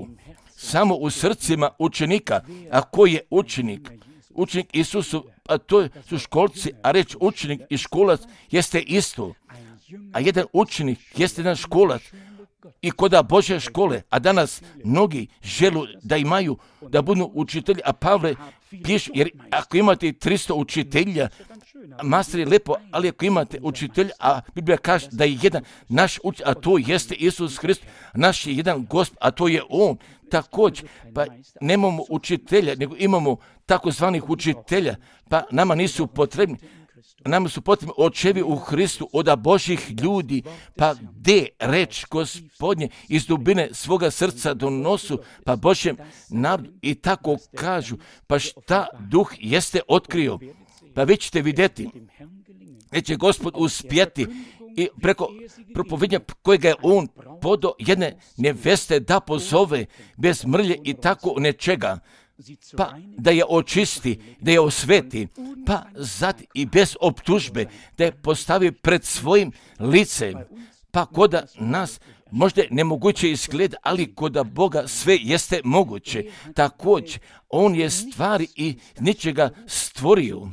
samo u srcima učenika. A ko je učenik? Učenik Isusu, a to su školci, a reč učenik i školac jeste isto. A jedan učenik jeste jedan školac i koda Božje škole, a danas mnogi želu da imaju, da budu učitelji, a Pavle piše, jer ako imate tristo učitelja, master je lepo, ali ako imate učitelja, a Biblija kaže da je jedan naš učitelj, a to jeste Isus Hrist, naš je jedan Gospod, a to je On. Također, pa nemamo učitelja, nego imamo takozvanih učitelja, pa nama nisu potrebni. Nama su potrebni očevi u Hristu od Božjih ljudi, pa gdje reč Gospodnje iz dubine svoga srca donosu, pa Božjem narodu i tako kažu, pa šta Duh jeste otkrio, pa vi ćete vidjeti, neće Gospod uspjeti i preko propovednja kojega je On podao jedne neveste da pozove bez mrlje i tako nečega, pa da je očisti, da je osveti, pa zatim i bez optužbe, da je postavi pred svojim licem, pa koda nas možda nemoguće izgleda, ali koda Boga sve jeste moguće. Također, On je stvari i ničega stvorio,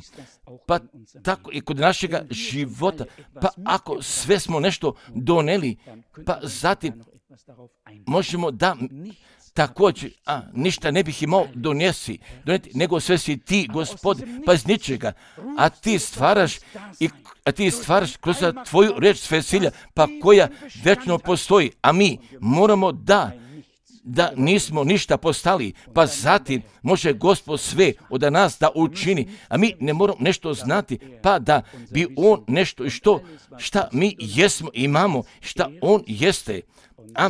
pa tako i kod našega života, pa ako sve smo nešto doneli, pa zatim možemo da također, a ništa ne bih imao donesi, doneti, nego sve si ti, Gospod, pa iz ničega, a ti stvaraš i a ti stvaraš kroz tvoju reč sve silja, pa koja večno postoji, a mi moramo da da nismo ništa postali, pa zatim može Gospod sve od nas da učini, a mi ne moramo nešto znati, pa da bi On nešto i što, šta mi jesmo, imamo, šta On jeste, a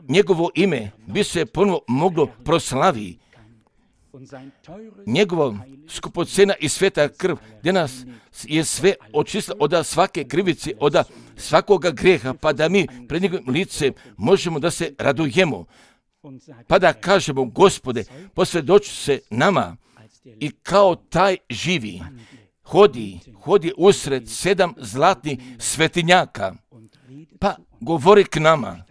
njegovo ime bi se ponovo moglo proslavi. Njegova skupocena i sveta krv, gdje nas je sve očistila od svake krivice, od svakoga grijeha, pa da mi pred njegovim licem možemo da se radujemo, pa da kažemo, Gospode, posvjedoči se nama i kao taj živi, hodi, hodi usred sedam zlatnih svetinjaka, pa govori k nama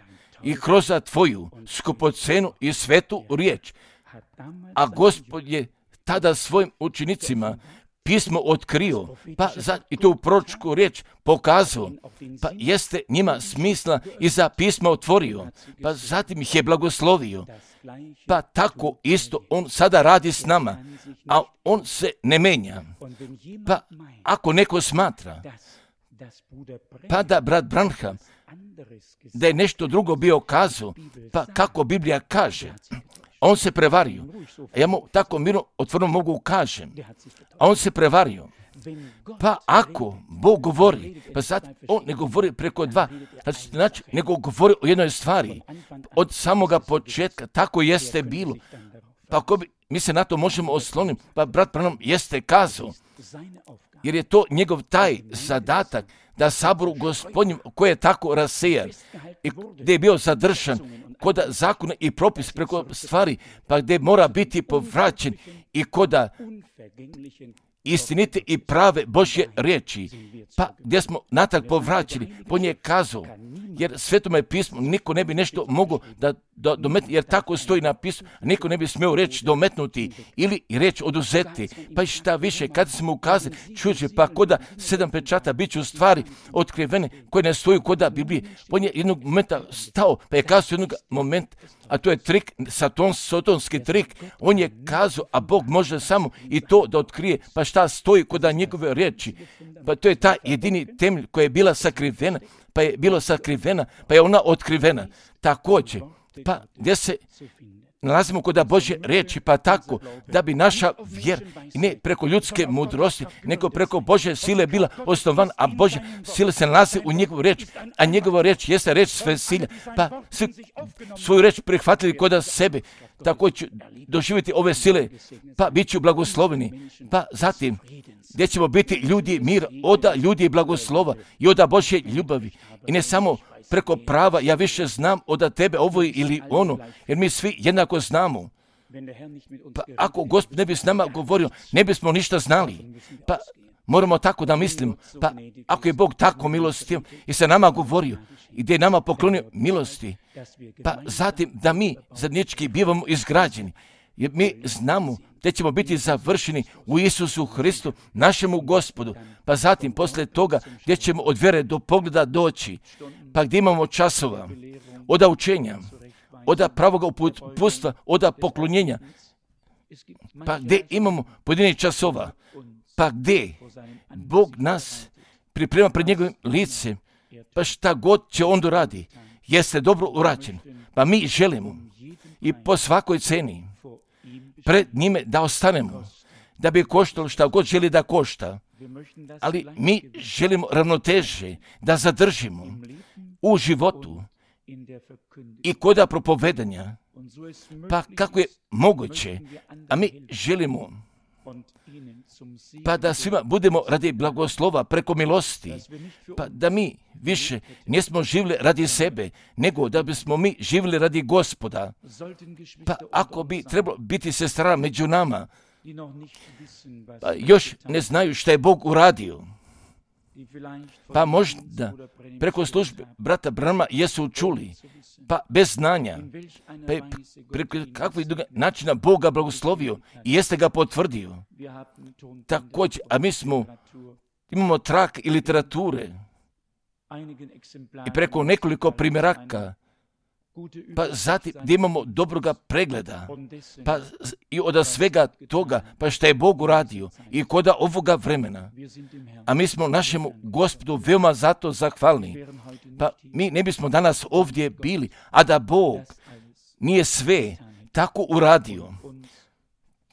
i kroz tvoju skupocenu i svetu riječ. A Gospod je tada svojim učenicima pismo otkrio, pa za, i to u proročku riječ pokazao, pa jeste njima smisla i za pismo otvorio, pa zatim ih je blagoslovio. Pa tako isto On sada radi s nama, a On se ne menja. Pa ako neko smatra, pa da brat Branham da je nešto drugo bio kazao, pa kako Biblija kaže, on se prevario. A ja mu tako mirno otvoreno mogu kažem, a on se prevario. Pa ako Bog govori, pa sad On ne govori preko dva, znači, znači nego govori o jednoj stvari, od samoga početka, tako jeste bilo. Pa ako bi, mi se na to možemo osloniti, pa brat Branham jeste kazao, jer je to njegov taj zadatak, da saboru Gospodnjem koji je tako rasejan i gdje je bio zadržan kod zakona i propis preko stvari, pa gdje mora biti povraćen i kod istinite i prave Božje riječi, pa gdje smo natrag povraćeni, po nje kazao, jer Svetome pismu niko ne bi nešto mogao da, da dometnuti, jer tako stoji na pismu, niko ne bi smio reći dometnuti ili reći oduzeti, pa i šta više, kad smo ukazali, čuđe, pa koda sedam pečata bit će u stvari otkrivene, koje ne stoju koda Biblije, po nje jednog momenta stao, pa je kazao jednog momenta, a to je trik, satons, sotonski trik, on je kazao, a Bog može samo i to da otkrije, pa šta stoji koda njegove riječi, pa to je ta jedini temelj koja je bila sakrivena, pa je bilo sakrivena, pa je ona otkrivena. Također, pa gdje se nalazimo kod Božje riječi, pa tako da bi naša vjera ne preko ljudske mudrosti, nego preko Božje sile bila osnovan, a Božja sila se nalazi u njegovu riječ, a njegova riječ jeste riječ sve sile, pa svi svoju riječ prihvatili kod sebe, tako ću doživjeti ove sile, pa bit ću blagosloveni, pa zatim gdje ćemo biti ljudi mira, oda ljudi blagoslova i oda Božje ljubavi i ne samo preko prava, ja više znam od tebe ovo ili ono, jer mi svi jednako znamo. Pa ako Gospod ne bi s nama govorio, ne bismo ništa znali. Pa moramo tako da mislimo. Pa ako je Bog tako milostiv i se nama govorio i gdje je nama poklonio milosti, pa zatim da mi zajednički bivamo izgrađeni, jer mi znamo da ćemo biti završeni u Isusu Hristu, našemu Gospodu, pa zatim poslije toga gdje ćemo od vjere do pogleda doći, pa gdje imamo časova, od učenja, od pravoga uputstva, od poklonjenja, pa gdje imamo pojedinih časova, pa gdje Bog nas priprema pred njegovim licem, pa šta god će on doradi, jeste dobro urađen, pa mi želimo i po svakoj ceni pred njime da ostanemo, da bi koštalo šta god želi da košta, ali mi želimo ravnoteže da zadržimo u životu i kod propovedanja, pa kako je moguće, a mi želimo pa da svima budemo radi blagoslova preko milosti, pa da mi više nismo živjeli radi sebe, nego da bismo mi živjeli radi Gospoda. Pa ako bi trebalo biti sestra među nama, pa još ne znaju šta je Bog uradio, pa možda preko službe brata Branhama jesu čuli, pa bez znanja, pa je preko kakvih načina Boga blagoslovio i jeste ga potvrdio. Također, a mi smo, imamo trak i literature i preko nekoliko primjeraka, pa zatim gdje imamo dobroga pregleda, pa i od svega toga, pa što je Bog uradio i kod ovoga vremena. A mi smo našemu Gospodu veoma zato zahvalni. Pa mi ne bismo danas ovdje bili, a da Bog nije sve tako uradio.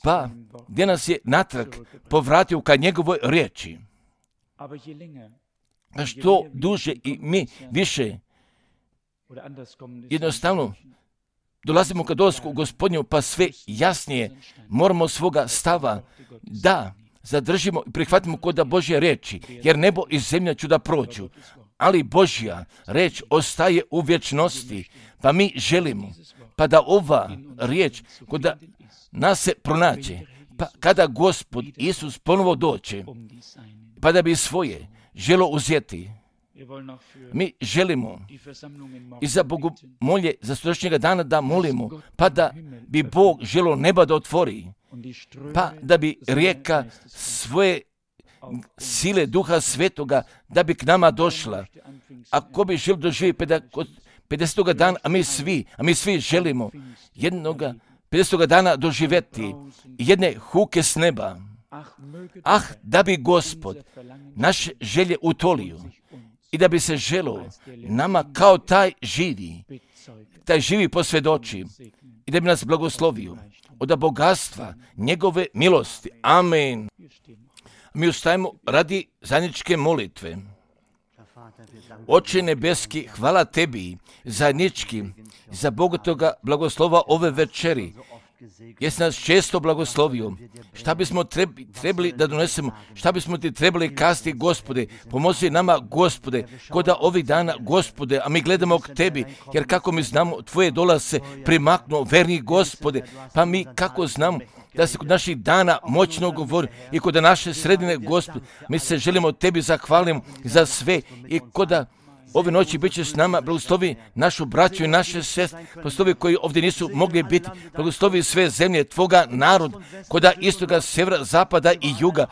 Pa gdje nas je natrag povratio ka njegovoj riječi. A što duže i mi više jednostavno dolazimo kad dolasku u Gospodnju, pa sve jasnije moramo svoga stava da zadržimo i prihvatimo kod Božje riječi, jer nebo i zemlja će da prođu, ali Božja riječ ostaje u vječnosti, pa mi želimo, pa da ova riječ kod nas se pronađe, pa kada Gospod Isus ponovo doće, pa da bi svoje želo uzeti. Mi želimo i za bogomolje, za sutrašnjega dana da molimo, pa da bi Bog želo neba da otvori, pa da bi rijeka svoje sile Duha Svetoga da bi k nama došla. Ako bi želio doživjeti pedesetoga dana, a mi svi, a mi svi želimo jednoga pedesetoga dana doživjeti jedne huke s neba. Ah, da bi Gospod naše želje utolio i da bi se želo nama kao taj živi, taj živi posvjedoči i da bi nas blagoslovio od bogatstva njegove milosti. Amen. Mi ustajemo radi zajedničke molitve. Oče nebeski, hvala tebi zajednički za bogatoga blagoslova ove večeri. Jesi nas često blagoslovio. Šta bismo trebi, trebali da donesemo? Šta bismo ti trebali kazati, Gospode? Pomozi nama, Gospode, koda ovih dana, Gospode, a mi gledamo k tebi, jer kako mi znamo, tvoje dolaze primaknu, verni Gospode, pa mi kako znamo da se kod naših dana moćno govori i kod naše sredine, Gospode, mi se želimo tebi zahvalimo za sve i koda ove noći bit će s nama, blagoslovi našu braću i naše sestre, blagoslovi koji ovdje nisu mogli biti, blagoslovi sve zemlje, tvoga narod, koda istoga, sjevera, zapada i juga,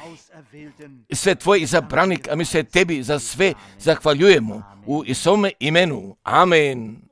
i sve tvoje izabranik, a mi se tebi za sve zahvaljujemo u Isome imenu. Amen.